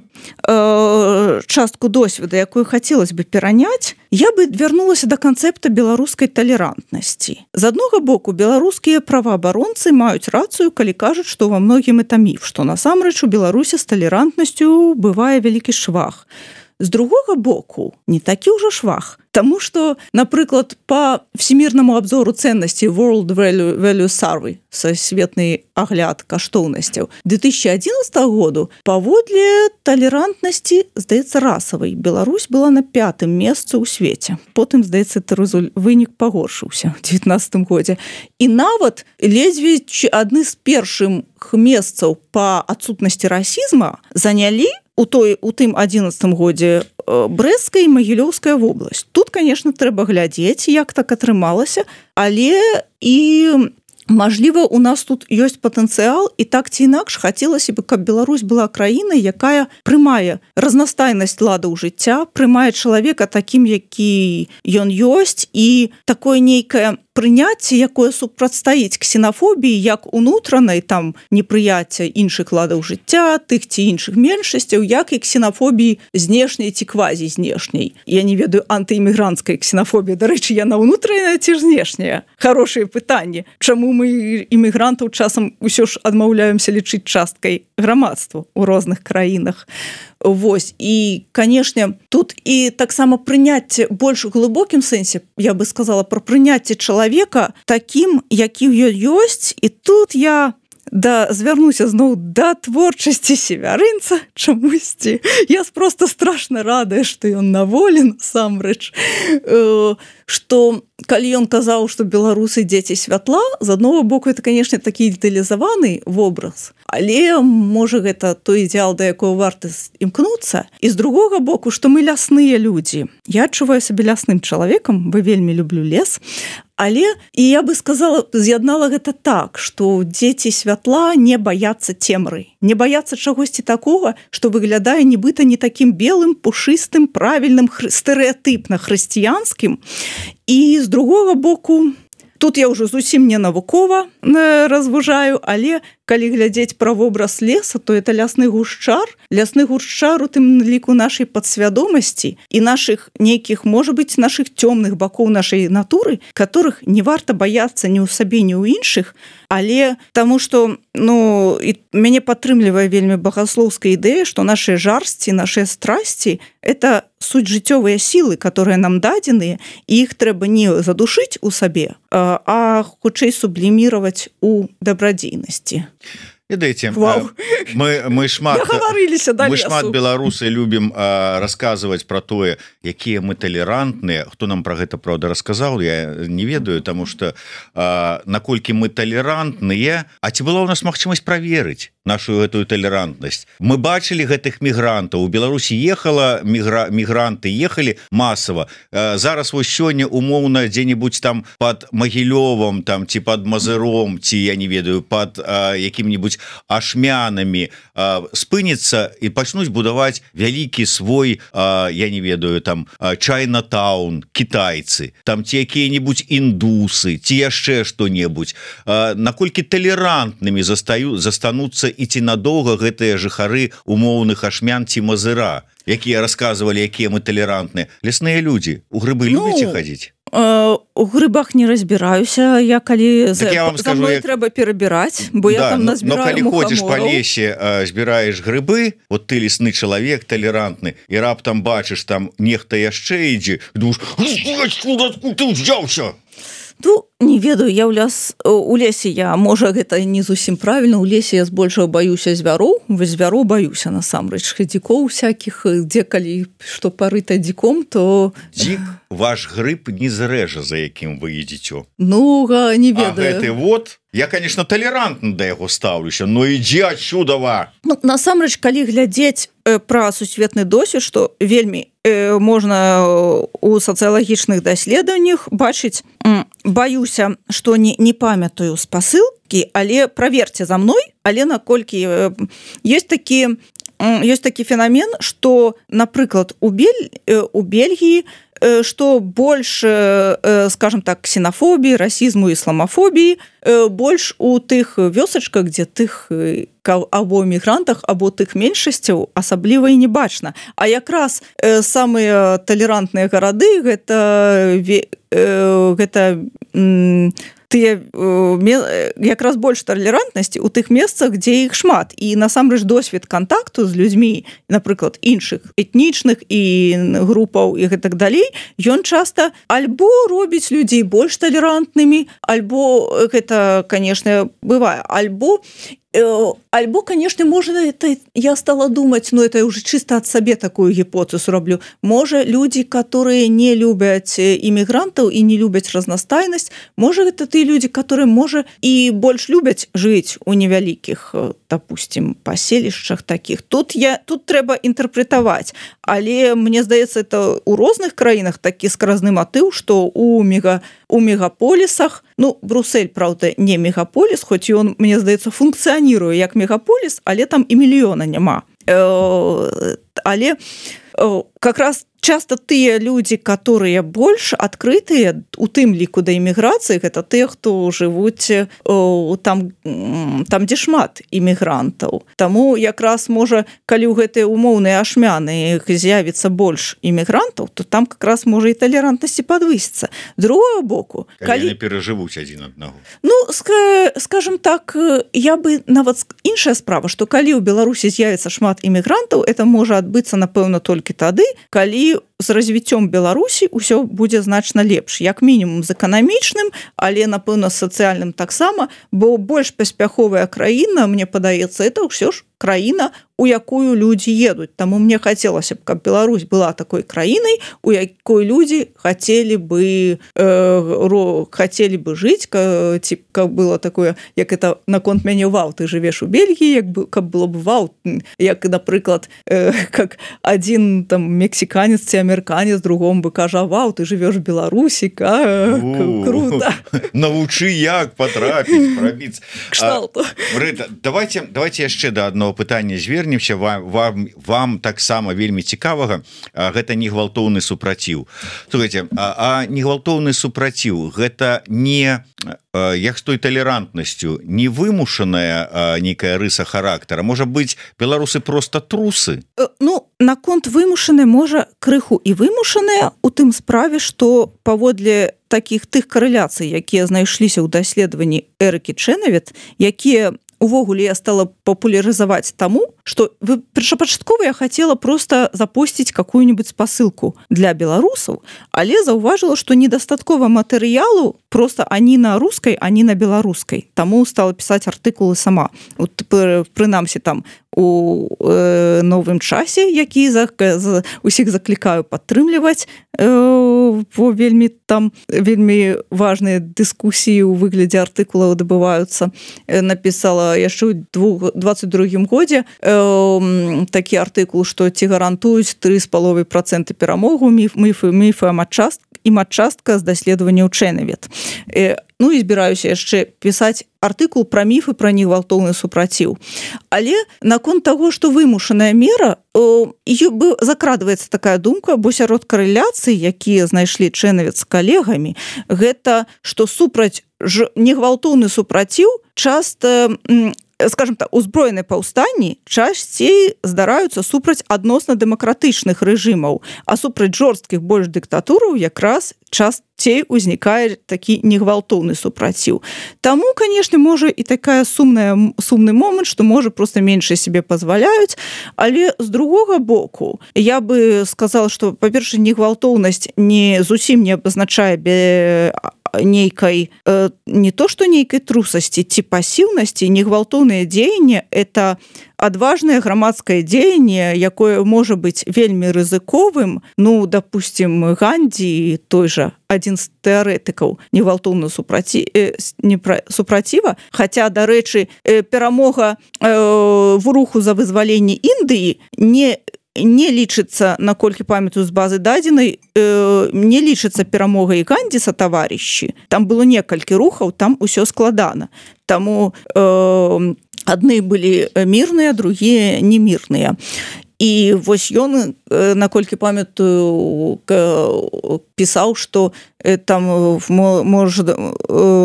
частку досведа, якую хацелось бы пераняць, я бы вярнулася да канцэпта беларускай талерантнасці. З аднаго боку, беларускія праваабаронцы маюць рацыю, калі кажуць, што ва многім это міф, што насамрэч у Беларусі з талерантнасцю бывае вялікі швах. З другога боку, не такі ўжо швах, таму што, напрыклад, па всемірнаму абзору ценнасцей World Value Survey, сусветны агляд каштоўнасцяў 2011 году, паводле талерантнасці, здаецца, расавай, Беларусь была на 5-м месцы ў свеце. Потым, здаецца, вынік пагоршыўся ў 2019 годзе. І нават ледзьве адны з першых месцаў па адсутнасці расізма занялі у тым 11 годзе Брэсцкая і Магілёўская вобласць. Тут, конечно, трэба глядзець, як так атрымалася, але і мажліва, у нас тут ёсць патэнцыял, і так ці інакш хацелася бы, каб Беларусь была краінай, якая прымае разнастайнасць ладаў жыцця, прымае чалавека такім, які ён ёсць, і такое нейкае прыняцце, якое супрацьстаіць ксенафобіі, як унутранай, там, непрыяцця іншых ладаў жыцця, тых ці іншых меншасцяў, як і ксенафобіі знешняй ці квазі-знешняй. Я не ведаю, антыімігранцкая ксенафобія, дарэчы, яна ўнутраная ці знешняя? Хорошае пытанне. Чаму мы імігрантаў часам усё ж адмаўляемся лічыць часткай грамадства ў розных краінах? Вось, і, канешне, тут і таксама прыняцце больш глыбокім сэнсе, я бы сказала, пра прыняцце чалавека такім, які ён ёсць, і тут я звярнуся зноў да творчасці Севярынца чамусьці. Я просто страшна радая, што ён на волі, насамрэч, што калі ён казаў, што беларусы дзеці святла, з аднаго боку, это, канешне, такі ідэалізаваны вобраз, але, можа, гэта той ідэал, да якого варта імкнуцца. І з другога боку, што мы лясныя людзі. Я адчуваю сябе лясным чалавекам, бо вельмі люблю лес, але, і я бы сказала, з'яднала гэта так, што дзеці святла не баяцца цемры, не баяцца чагосьці такога, што выглядае нібыта не такім белым, пушыстым, правільным, стэрэатыпна хрысціянскім. І з другога боку, тут я ўжо зусім не навукова разважаю, але калі глядзець пра вобраз леса, то это лясны гушчар у тым ліку нашай падсвядомасці і нашых нейкіх, можа быць, нашых цёмных бакоў нашай натуры, которых не варта баяцца ні ў сабе, ні ў іншых, але таму што, ну, і мяне падтрымлівае вельмі багаслоўская ідэя, што нашыя жарсці, нашыя страсці – это суть жыццёвыя сілы, которые нам дадзеныя, і іх трэба не задушыць у сабе, а хутчэй субліміраваць у дабрадзейнасці. Ведаеце, мы шмат беларусы любім расказваць пра тое, якія мы талерантныя. Хто нам пра гэта, правда, расказаў, я не ведаю, таму што наколькі мы талерантныя, а ці была ў нас магчымасць праверыць нашу гэтую талерантнасць. Мы бачылі гэтых мігрантаў. У Беларусі мігранты ехалі масава. Зараз вось сёння умоўна дзе-небудзь там пад Магілёвам, там ці пад Мазыром, ці я не ведаю, пад якім-небудзь ашмянамі спыніцца і пачнуць будаваць вялікі свой, я не ведаю, там Чайнатаун, кітайцы, там ці якія-небудзь індусы, ці яшчэ што-небудзь. Наколькі талерантнымі застануцца і ці надоўга гэтыя жыхары умоўных ашмян ці Мазыра, якія расказвалі, якія мы талерантныя. Лясныя людзі, у грыбы любіце хадзіць? У грыбах не разбіраюся, я калі так я за мной трэба перабіраць, бо я там назбіраю мухамораў. Но калі ходзіш па лесе, збіраеш грыбы, вот ты лесны чалавек, талерантны, і раптам бачыш, там нехта яшчэ ідзе, думаеш, ты ўзяўся? Ну, Не ведаю, я у лесе я, можа гэта не зусім правільна, у лесе я збольшага баюся звяроў, звяроў баюся насамрэч хадзікоў всякіх, дзе калі што парыта дзіком, то дзік ваш грыб не зрэжа, за якім вы ідзіце. Ну не ведаю. А гэты вот я, конечно, толерантна да яго стаўлюся, но ідзі адсюдава. Ну, насамрэч, калі глядзець пра сусветны досвед, што вельмі можна у сацыялагічных даследаваннях бачыць, баюся, што не памятаю спасылкі, але праверце за мной, але наколькі ёсць такі феномен, што, напрыклад, у Бельгіі што больш, скажем так, ксенофобіі, расізму, ісламафобіі, больш у тых вёсачках, дзе тых або мігрантах, або тых меншасцяў асабліва і не бачна. А якраз самыя талерантныя гарады гэта тыя якраз больш талерантнасці ў тых месцах, дзе іх шмат. І насамрэч досвед кантакту з людзьмі, напрыклад, іншых этнічных і групаў і гэтак далей, ён часта альбо робіць людзей больш талерантнымі, альбо гэта, канешне, бывае, альбо, конечно, можно это, я стала думать, но это уже чисто от себе такую гипотезу роблю, может, люди, которые не любят иммигрантов и не любят разностайность, может, это те люди, которые, может, и больше любят жить у невеликих, допустим, поселищах таких. Тут треба интерпретовать, але, мне здаецца, это у розных краінах такі скразны матыў, што у мегаполісах, ну, Брюссель, правда, не мегаполіс, хоць ён, мне здаецца, функцыяніруе як мегаполіс, але там і мільёна няма. Але как раз часто тыя людзі, которые больш адкрытыя у тым ліку да эміграцыі, гэта тыя, хто жывуць там, дзе шмат эмігрантаў. Таму якраз можа, калі ў гэтыя умоўныя ашмяны з'явіцца больш эмігрантаў, то там как раз можа і талерантнасці падвысіцца. Другого боку, калі перажывуць адзін аднаго. Ну, скажем так, я бы нават іншая справа, што калі ў Беларусі з'явіцца шмат эмігрантаў, это можа адбыцца, напэўна, толькі тады, калі з развіццём Беларусі ўсё будзе значна лепш, як мінімум з эканамічным, але, напэўна, з сацыяльным таксама, бо больш паспяховая краіна, мне падаецца, это ўсё ж краіна, у якую людзі едуць. Таму мне хацелася б, каб Беларусь была такой краінай, у якой людзі хацелі бы жыць, каб было такое, як это наконт мяне вау, ты жывеш у Бельгіі, каб было б вау, як, напрыклад, как адзін там мексіканец ці амерыканец другому бы кажа, вау, ты жывеш в Беларусі, круто. Навучы, як патрапіць, прабіць. Кшталту. Рыта, давайте яшчэ да адного пытання звернемся, вам таксама вельмі цікавага, гэта негвалтоўны супраціў. Слухайте, а негвалтоўны супраціў гэта не як з той талерантнасцю, не вымушаная нейкая рыса характара, можа быць, беларусы просто трусы? Ну, наконт вымушанай, можа, крыху і вымушаная у тым справе, што паводле такіх тых карэляцый, якія знайшліся ў даследаванні Эрыкі Чэнавіт, якія увогуле я стала популяризовать тому, что першапачаткова я хотела просто запустить какую-нибудь спасылку для белорусов, але заўважила, что недостаткова матэрыялу просто ані на рускай, ані на беларускай. Таму стала писать артыкулы сама. Вот, прынамсі там у новым часе, які усіх заклікаю падтрымліваць, вельмі важныя дыскусіі ў выглядзе артыкулаў адбываюцца. Напісала яшчэ ў 22 годзе такі артыкул, што ці гарантуюць 3,5% перамогу міфы і матчастка з даследаванняў Чэнавіт. Ну і збіраюся яшчэ пісаць артыкул пра міфы пра негвалтоўны супраціў. Але наконт таго, што вымушаная мера, закрадваецца такая думка, бо сярод карэляцый, якія знайшлі Чэнавіт з калегамі, гэта, што супраць негвалтоўны супраціў часта, скажем так, узброеныя паўстанні часцей здараюцца супраць адносна дэмакратычных рэжымаў, а супраць жорсткіх больш дыктатураў якраз часцей узнікае такі негвалтоўны супраціў. Таму, канешне, можа і такая сумны момант, што можа проста менш сябе пазваляюць, але з другога боку я бы сказала, што, па-першае, негвалтоўнасць не зусім не абазначае нейкай не то што нейкай трусасці ці пасіўнасці, негвалтоўнае дзеянне это адважнае грамадскае дзеянне, якое можа быць вельмі рызыковым. Ну, допустим, Гандзі, той жа адзін з тэарэтыкаў негвалтоўнага супраціва, хаця, дарэчы, перамога в руху за вызваленне Індыі не лічыцца, наколькі памятаю з базы дадзенай, не лічыцца перамогай Гандзі са таварышы. Там было некалькі рухаў, там усё складана. Таму адны былі мірныя, другія не мірныя. І вось ён, наколькі памятаю, пісаў, што там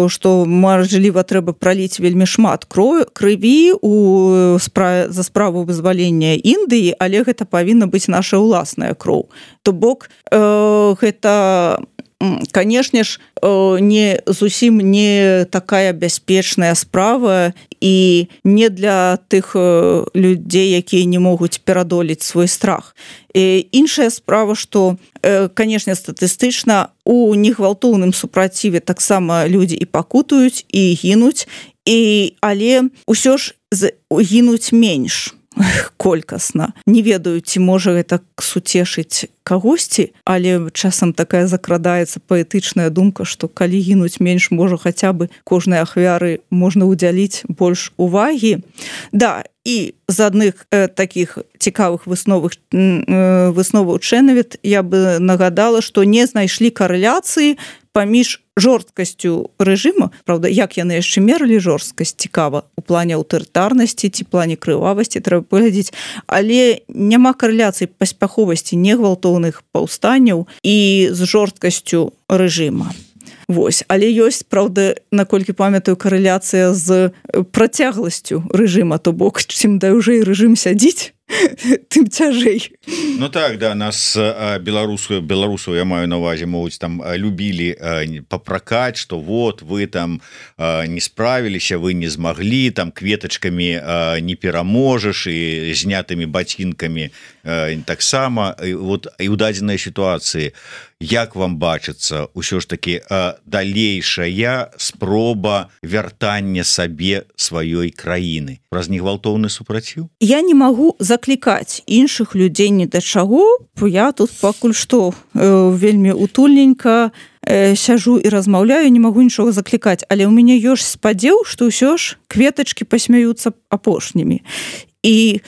што мажліва трэба праліць вельмі шмат крыві за справу вызвалення Індыі, але гэта павінна быць наша ўласная кроў. То бок гэта, канешне ж, не зусім не такая бяспечная справа і не для тых людзей, якія не могуць перадолець свой страх. Іншая справа, што, канешне, статыстычна у негвалтоўным супраціве таксама людзі і пакутаюць, і гінуць, але ўсё ж гінуць менш колькасна. Не ведаю, ці можа гэта суцешыць кагосьці, але часам такая закрадаецца паэтычная думка, што калі гінуць менш, можа хаця бы кожнай ахвяры можна ўдзяліць больш увагі. Да, і з адных такіх цікавых высноваў Чэнавіт я бы нагадала, што не знайшлі карэляцыі паміж жорсткасцю рэжыма, правда, як яны яшчэ мералі жорсткасць, цікава, у плане аўтарытарнасці ці плане крывавасці трэба паглядзець, але няма карэляцыі паспяховасці негвалтоўных паўстанняў і з жорсткасцю рэжыма. Вось, але ёсць, правда, наколькі памятаю, карэляцыя з працягласцю рэжыма, то бок, чым даўжэй рэжым сядзіць, тым цяжэй. Ну так, да, нас беларусаў, я маю на ўвазе, могуць там любілі папракаць, што вот вы там не справіліся, вы не змаглі, там кветачкамі не пераможаш і знятымі бацінкамі таксама. Вот і ў дадзенай сітуацыі, як вам бачыцца ўсё ж такі далейшая спроба вяртання сабе сваёй краіны праз негвалтоўны супраціў? Я не магу заклікаць іншых людзей ні да чаго, я тут пакуль што вельмі утульненька сяжу і размаўляю, не магу нічога заклікаць, але ў мяне ёсць спадзеў, што ўсё ж кветачкі пасмяюцца апошнімі. І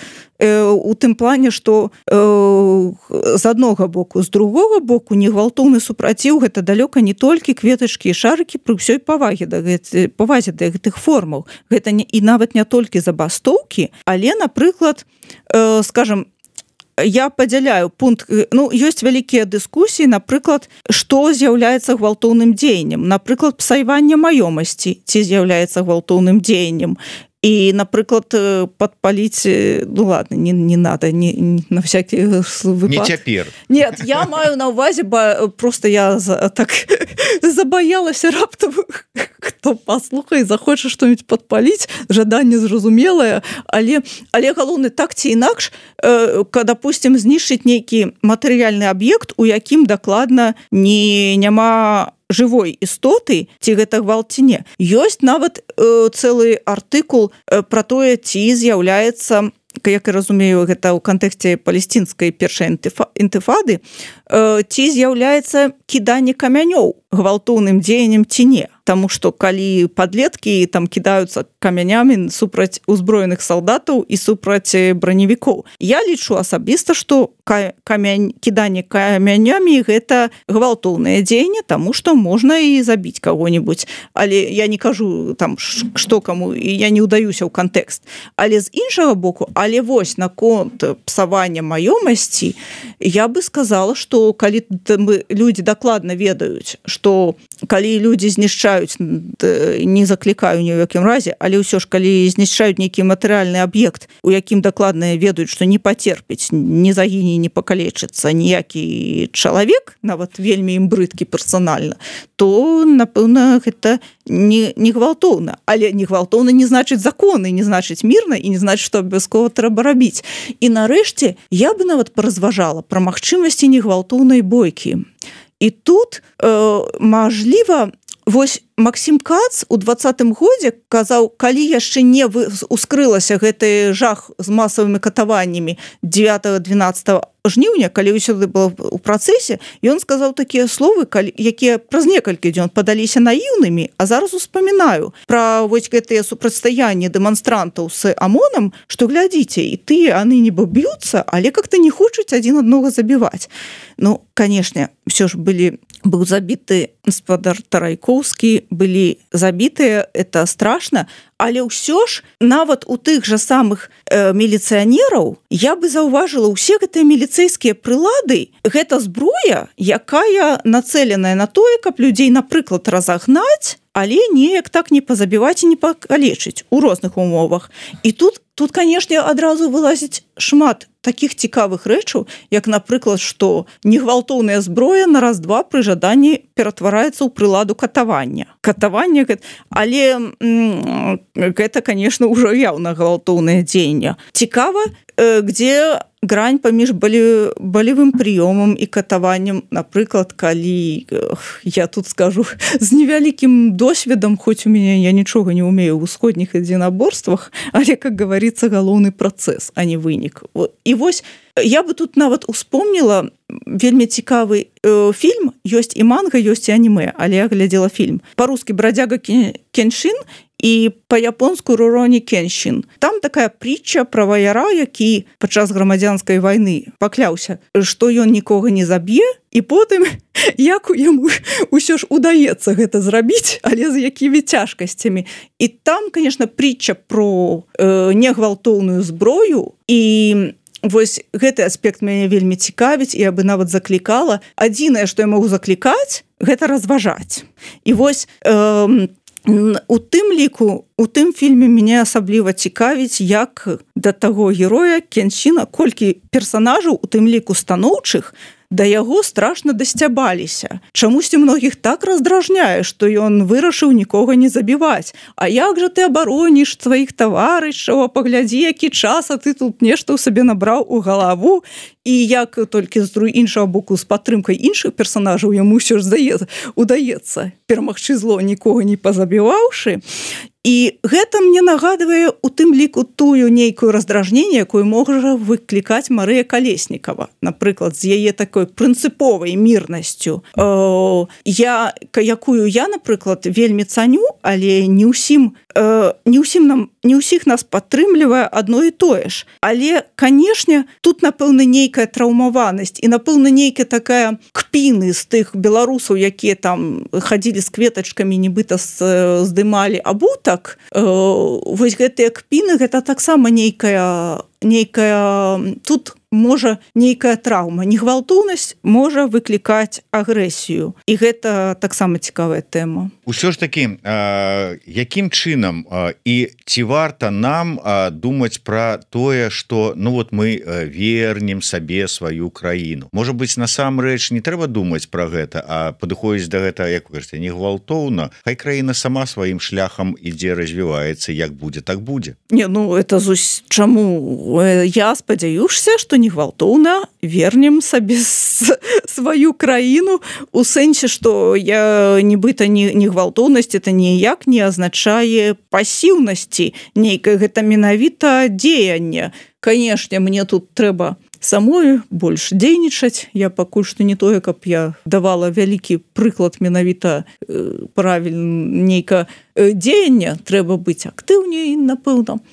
у тым плане, што з аднога боку, з другога боку негвалтоўны супраціў гэта далёка не толькі кветачкі і шарыкі пры ўсёй павазе да гэтых формаў. Гэта і нават не толькі забастоўкі, але, напрыклад, скажам, я падзяляю пункт, ну, ёсць вялікія дыскусіі, напрыклад, што з'яўляецца гвалтоўным дзеяннем. Напрыклад, псаванне маёмасці ці з'яўляецца гвалтоўным дзеяннем. І, напрыклад, падпаліць, ну ладно, не надо, на всякий выпадок. Не цяпер. Нет, я маю на ўвазе, просто я так забаялася раптам, хто паслухае, захоча што-нибудь падпаліць, жаданне зразумелае, але галоўны так ці інакш, допустим, знішчыць нейкі матэрыяльны аб'ект, у якім дакладна няма жывой істоты, ці гэта гвалт ці не. Ёсць нават цэлы артыкул пра тое, ці з'яўляецца, як я разумею, гэта ў кантэксце палестінскай першай інтыфады, ці з'яўляецца кіданне камянёў гвалтоўным дзеяннем ці не. Таму што калі падлеткі там кідаюцца камянямі супраць узброеных салдатаў і супраць браневікоў. Я лічу асабіста, што кіданне камянямі гэта гвалтоўнае дзеянне, таму што можна і забіць каго-нибудь. Але я не кажу там, што каму, і я не ўдаюся ў кантэкст. Але з іншага боку, але вось наконт псавання маёмасці, я бы сказала, што калі людзі дакладна ведаюць, што калі людзі знішчаюць, не заклікаю ні ў якім разе, але ўсё ж, калі знішчаюць нейкі матэрыяльны аб'ект, у якім дакладна ведаюць, што не пацерпіць, не загіне, не пакалечыцца ніякі чалавек, нават вельмі ім брыдкі персанальна, то, напэўна, гэта не гвалтоўна. Але не гвалтоўна не значыць законы, не значыць мірна і не значыць, што абавязкова трэба рабіць. І нарэшце я бы нават паразважала пра магчымасці негвалтоўнай бойкі. І тут, мажліва, Вось Максім Кац у 20-м годзе казаў, калі яшчэ не ускрылася гэты жах з масавымі катаваннямі 9-12 жніўня, калі ўсё было ў працэсе, ён сказаў такія словы, якія праз некалькі дзён падаліся наіўнымі, а зараз успамінаю пра вось гэтыя супрацьстаянні дэманстрантаў з ОМОНам, што глядзіце, і тыя яны нібы б'юцца, але как-то не хочуць адзін аднаго забіваць. Ну, канешне, все ж быў забіты гаспадар Тарайкоўскі, былі забітыя, это страшна, але ўсё ж нават у тых жа самых міліцыянераў я бы заўважыла ўсе гэтыя міліцэйскія прылады, гэта зброя, якая нацэленая на тое, каб людзей, напрыклад, разагнаць, але неяк так не пазабіваць і не пакалечыць у розных умовах. І тут, канешне, адразу вылазіць шмат такіх цікавых рэчаў, як, напрыклад, што негвалтоўная зброя на раз-два пры жаданні ператвараецца ў прыладу катавання. Катаванне, але гэта, конечно, ўжо яўна гвалтоўнае дзеянне. Цікава, где грань паміж балевым прыёмам і катаваннем, напрыклад, калі я тут скажу з невялікім досведам, хоць у мяне я нічога не умею ў усходніх единоборствах, але, как говорится, галоўны працэс, а не вынік. І вось я бы тут нават успомніла вельмі цікавы фільм, ёсць і манга, ёсць і анімэ, але я глядзела фільм. Па-рускі «Бродяга Кеншин» і па-японску «Рурони Кеншин». Там такая притча пра ваяра, які падчас грамадзянскай вайны пакляўся, што ён нікога не заб'е, і потым як яму ўсё ж удаецца гэта зрабіць, але з якімі цяжкасцямі. І там, конечно, притча про негвалтоўную зброю, і вось гэты аспект мяне вельмі цікавіць, і я бы нават заклікала. Адзінае, што я магу заклікаць, гэта разважаць. І вось у тым ліку, у тым фільме мяне асабліва цікавіць, як да таго героя Кеншина, колькі персанажаў, у тым ліку станоўчых, да яго страшна дасцябаліся. Чамусьці многіх так раздражняе, што ён вырашыў нікога не забіваць. А як жа ты абароніш сваіх таварышаў, паглядзі, які час, а ты тут нешта ў сабе набраў у галаву. І як толькі з іншага боку з падтрымкай іншых персанажаў яму ўсё ж удаецца перамагчы зло, нікога не пазабіваўшы. І гэта мне нагадвае у тым ліку тую нейкую раздражненне, якую можа выклікаць Марыя Калеснікава, напрыклад, з яе такой прынцыповай мірнасцю, якую я, напрыклад, вельмі цаню, але не ўсіх нас падтрымлівае адно і тое ж. Але, канешне, тут, напэўна, нейкая траўмаванасць і, напэўна, нейкая такая кпіны з тых беларусаў, якія там хадзілі з кветачкамі, нібыта здымалі абутак. Вось гэтыя кпіны, гэта таксама нейкая тут можа нейкая траўма. Негвалтоўнасць можа выклікаць агрэсію. І гэта таксама цікавая тэма. Усё ж такі, якім чынам і ці варта нам думаць пра тое, што мы вернем сабе сваю краіну? Можа быць, насамрэч не трэба думаць пра гэта, а падыходзіць да гэта, як вы кажаце, негвалтоўна. Хай краіна сама сваім шляхам ідзе, развіваецца, як будзе, так будзе. Не, это чаму? Я спадзяюся, што негвалтоўна вернем сабе сваю краіну, у сэнсе, што нібыта негвалтоўнасць это ніяк не азначае пасіўнасці нейкае, гэта менавіта дзеянне. Канешне, мне тут трэба самой больш дзейнічаць. Я пакуль што не тое, каб я давала вялікі прыклад менавіта правільна нейка дзеяння, трэба быць актыўней, напэўна.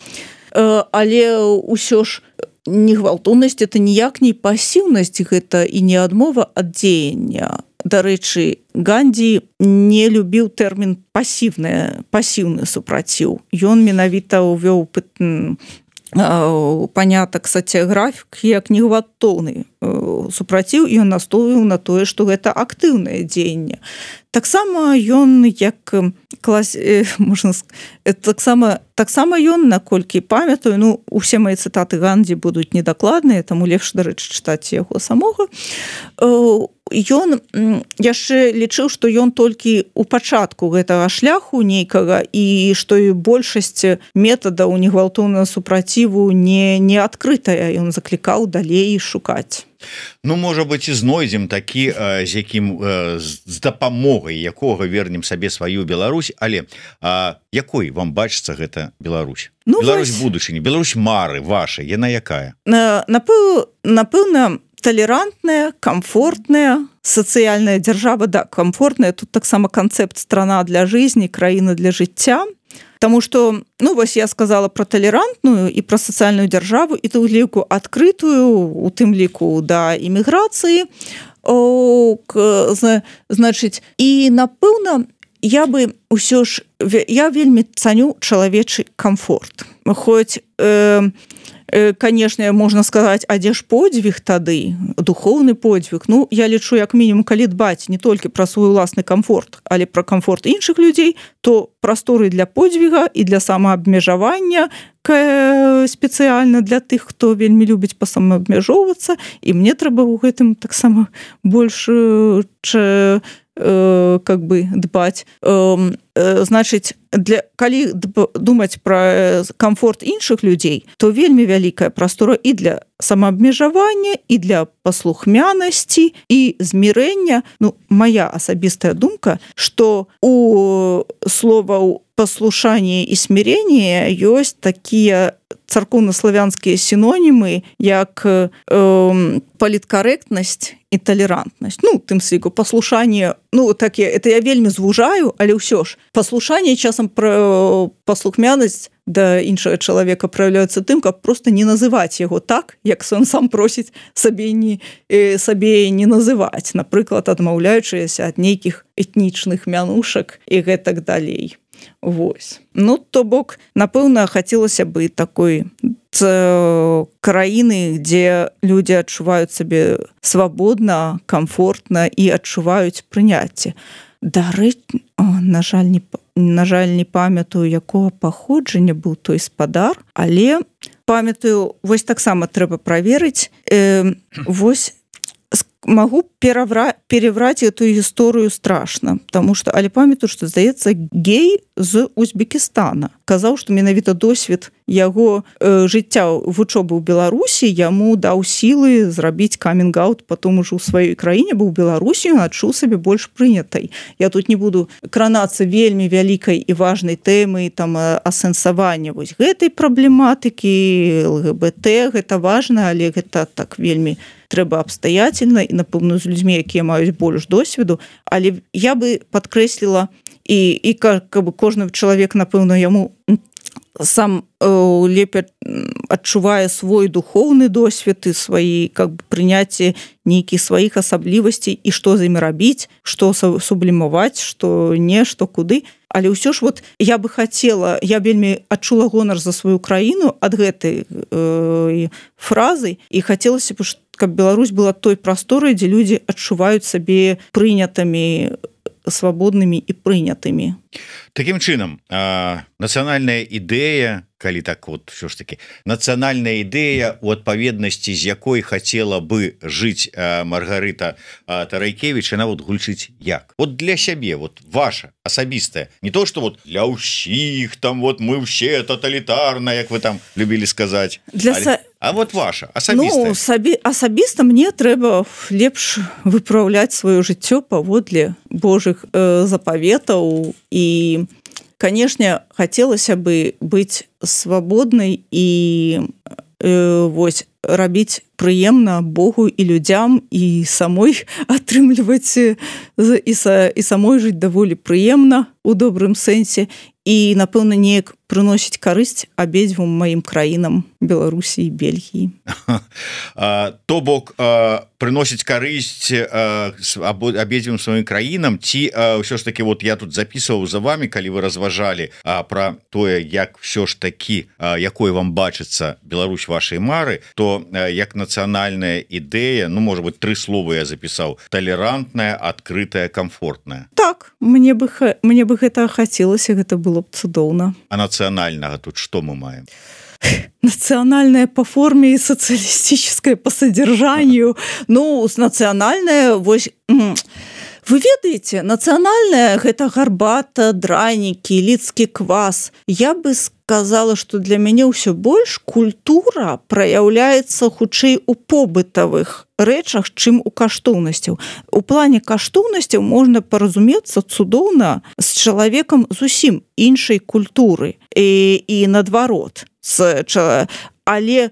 Але ўсё ж негвалтоўнасць это ніяк не пасіўнасць, гэта і не адмова ад дзеяння. Дарэчы, Гандзі не любіў тэрмін пасіўны супраціў. Ён менавіта ўвёў панятак сацыяграфікі як негвалтоўны супраціў, і ён настойваў на тое, што гэта актыўнае дзеянне. Таксама ён таксама ён, наколькі памятаю, усе мае цытаты Гандзі будуць недакладныя, таму лепш, дарэчы, чытаць яго самога. ён яшчэ лічыў, што ён толькі ў пачатку гэтага шляху нейкага і што і большасць метадаў негвалтоўнага супраціву не адкрытая, ён заклікаў далей шукаць. Ну, можа быть, і знойдзем такі, з якім з дапамогай якога вернем сабе сваю Беларусь, але якой вам бачыцца гэта Беларусь? Ну, Беларусь будучыні, Беларусь мары ваша, яна якая? Напэўна, толерантная, комфортная, сацыяльная дзяржава, да, комфортная, тут таксама канцэпт страна для жизни, краіна для жыцця. Таму што, ну, вось я сказала про толерантную і про сацыяльную дзяржаву, і ту ліку адкрытую, у тым ліку да іміграцыі, значыць, і напэўна, я бы ўсё ж, я вельмі цаню чалавечы комфорт. Хоць, конечно, можна сказаць, а дзе ж подзвіг тады, духоўны подзвіг. Ну, я лічу, як мінімум, калі дбаць не толькі пра свой уласны комфорт, але пра комфорт іншых людзей, то прасторы для подзвіга і для самаабмежавання спецыяльна для тых, хто вельмі любіць пасамаабмяжоўвацца, і мне трэба ў гэтым таксама больш как бы дбаць. Значыць, калі думаць пра комфорт іншых людзей, то вельмі вялікая прастора і для самаабмежавання, і для паслухмянасці, і змірэння. Ну, моя асабістая думка, што у словаў паслушанне і сміренне ёсць такія царкоўна-славянскія синонімы, як паліткарэктнасць і толерантнасць. Ну, тым сліку, паслушанне, ну, таке, это я вельмі звужаю, але ўсё ж, паслушанне часам пра паслухмянасць да іншага чалавека праяўляецца тым, каб просто не называць яго так, як ён сам просіць сабе не называць, напрыклад, адмаўляючыся ад нейкіх этнічных мянушак і гэтак далей. Вось. Ну, то бок, напэўна, хацелася бы такой краіны, дзе людзі адчуваюць сабе свабодна, комфортна і адчуваюць прыняцце. Дарэчы, на жаль, не памятаю, якога паходжання быў той спадар, але памятаю, вось таксама трэба праверыць, вось могу переврать эту гісторыю страшна, потому что, але памятаю, што, здаецца, гей з Узбекістана казаў, што менавіта досвед яго жыцця вучобы ў Беларусі яму даў сілы зрабіць камінг-аут, потом ужо ў сваёй краіне быў Беларусі, ён адчуў сабе больш прынятай. Я тут не буду кранацца вельмі вялікай і важнай тэмы там асэнсавання вось гэтай праблематыкі ЛГБТ, гэта важна, але гэта так вельмі трэба абстаятельна і, напэўна, з людзьмі, якія маюць больш досведу, але я бы падкрэсліла і кожны чалавек, напэўна, яму сам лепей адчувае свой духоўны досвед і свае прыняцце нейкіх сваіх асаблівасцей і што з імі рабіць, што сублімаваць, што не, што куды. Але ўсё ж вот я бы хацела, я вельмі адчула гонар за сваю краіну ад гэтай фразы і хацелася б, каб Беларусь была той прасторай, дзе людзі адчуваюць сабе прынятымі, свабоднымі і прынятымі. Такім чынам, нацыянальная ідэя, калі так вот ўсё ж таки, нацыянальная ідэя, у адпаведнасці з якой хацела бы жыць Маргарыта Тарайкевіч, яна вот гучыць як? Вот для сябе, вот ваша, асабістая, не то, что вот для ўсіх, там вот мы все тоталітарна, як вы там любілі сказаць, а вот ваша, асабістая. Ну, асабіста мне трэба лепш выпраўляць сваё жыццё паводле Божых запаветаў і, канешне, хацелася бы быць свабоднай і вось рабіць прыемна Богу і людзям і самой атрымліваць і самой жыць даволі прыемна у добрым сэнсе і, напэўна, неяк прыносіць карысць абедзвюм маім краінам, Беларусі і Бельгіі. То бок прыносіць карысць абедзвюм сваім краінам, ці ўсё ж таки, вот я тут записываў за вами, калі вы разважалі пра тое, як ўсё ж такі, якой вам бачыцца Беларусь вашай мары, то як нацыянальная ідэя, ну, можа быть, 3 словы я запісаў: толерантная, адкрытая, комфортная. Так, мне бы гэта хацелася, гэта было б цудоўна. А нацыянальнага тут што мы маем? национальная по форме и социалистическая по содержанию. Ну, национальная... Вы ведаеце, нацыянальная гэта гарбата, дранікі, лідскі квас. Я бы сказала, што для мяне ўсё больш культура праяўляецца хутчэй у побытавых рэчах, чым у каштоўнасцяў. У плане каштоўнасцяў можна паразумецца цудоўна з чалавекам зусім іншай культуры і наадварот. Але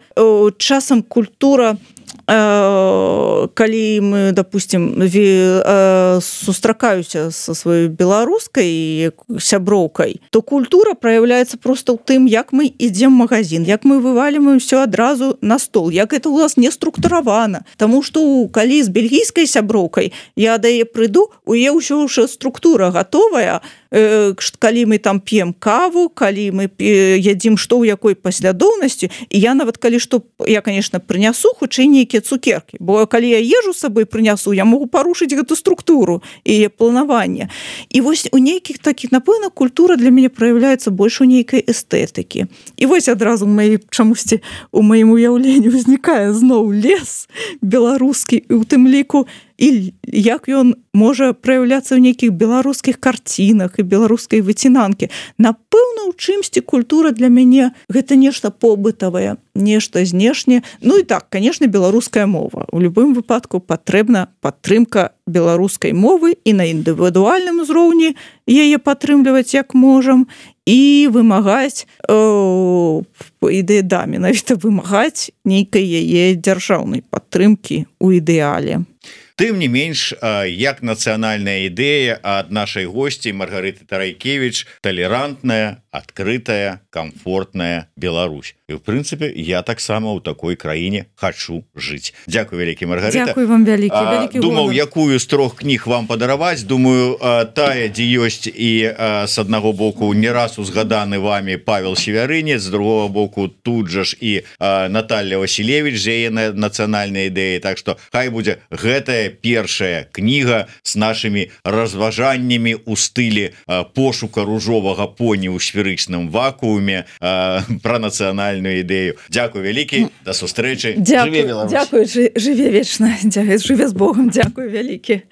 часам культура, калі мы, допустим, сустракаюся со сваёй беларускай сяброўкай, то культура праяўляецца просто ў тым, як мы ідзем в магазин, як мы вываліваем ўсё адразу на стол, як это у нас не структуравана. Таму што калі з бельгійскай сяброўкай я да яе прыйду, у яе ўсё ўжо структура гатовая, калі мы там п'ем каву, калі мы ядзім што ў якой паслядоўнасці, і я нават калі што, я, конечно, прынясу хутчэй нейкія цукеркі, бо калі я ежу з сабой прынясу, я могу парушыць гэту структуру і планаванне. І вось у нейкіх такіх, напэўна, культура для мяне праяўляецца больш у нейкай эстэтыкі. І вось адразу чамусьці у маім уяўленні ўзнікае зноў лес беларускі, і ў тым ліку і як ён можа праяўляцца ў нейкіх беларускіх карцінах і беларускай выцінанкі. Напэўна, у чымсьці культура для мяне гэта нешта побытавае, нешта знешняе. Ну і так, конечно, беларуская мова. У любым выпадку патрэбна падтрымка беларускай мовы і на індывідуальным узроўні яе падтрымліваць як можам і вымагаць менавіта вымагаць нейкай яе дзяржаўнай падтрымкі ў ідэале. Тым не менш, як нацыянальная ідэя ад нашай госці Маргарыты Тарайкевіч талерантная, адкрытая, комфортная Беларусь. І в прынцыпе, я таксама ў такой краіне хачу жыць. Дзякуй вялікі, Маргарыта. Дзякуй вам вялікі. Думаў, якую з 3 кніг вам падараваць. Думаю, тая, дзе ёсць і з аднаго боку не раз узгаданы вами Павел Севярынец, з другого боку тут жа ж і Наталья Василевич з яе нацыянальнай ідэі. Так што хай будзе гэтая першая кніга з нашымі разважаннямі ў стылі пошука ружовага поні ў сферычным вакууме пра нацыянальную ідэю. Дзякуй вялікі, да сустрэчы. Жыве Беларусь. Дзякуй, жыве вечна. Жыве з Богом. Дзякуй вялікі.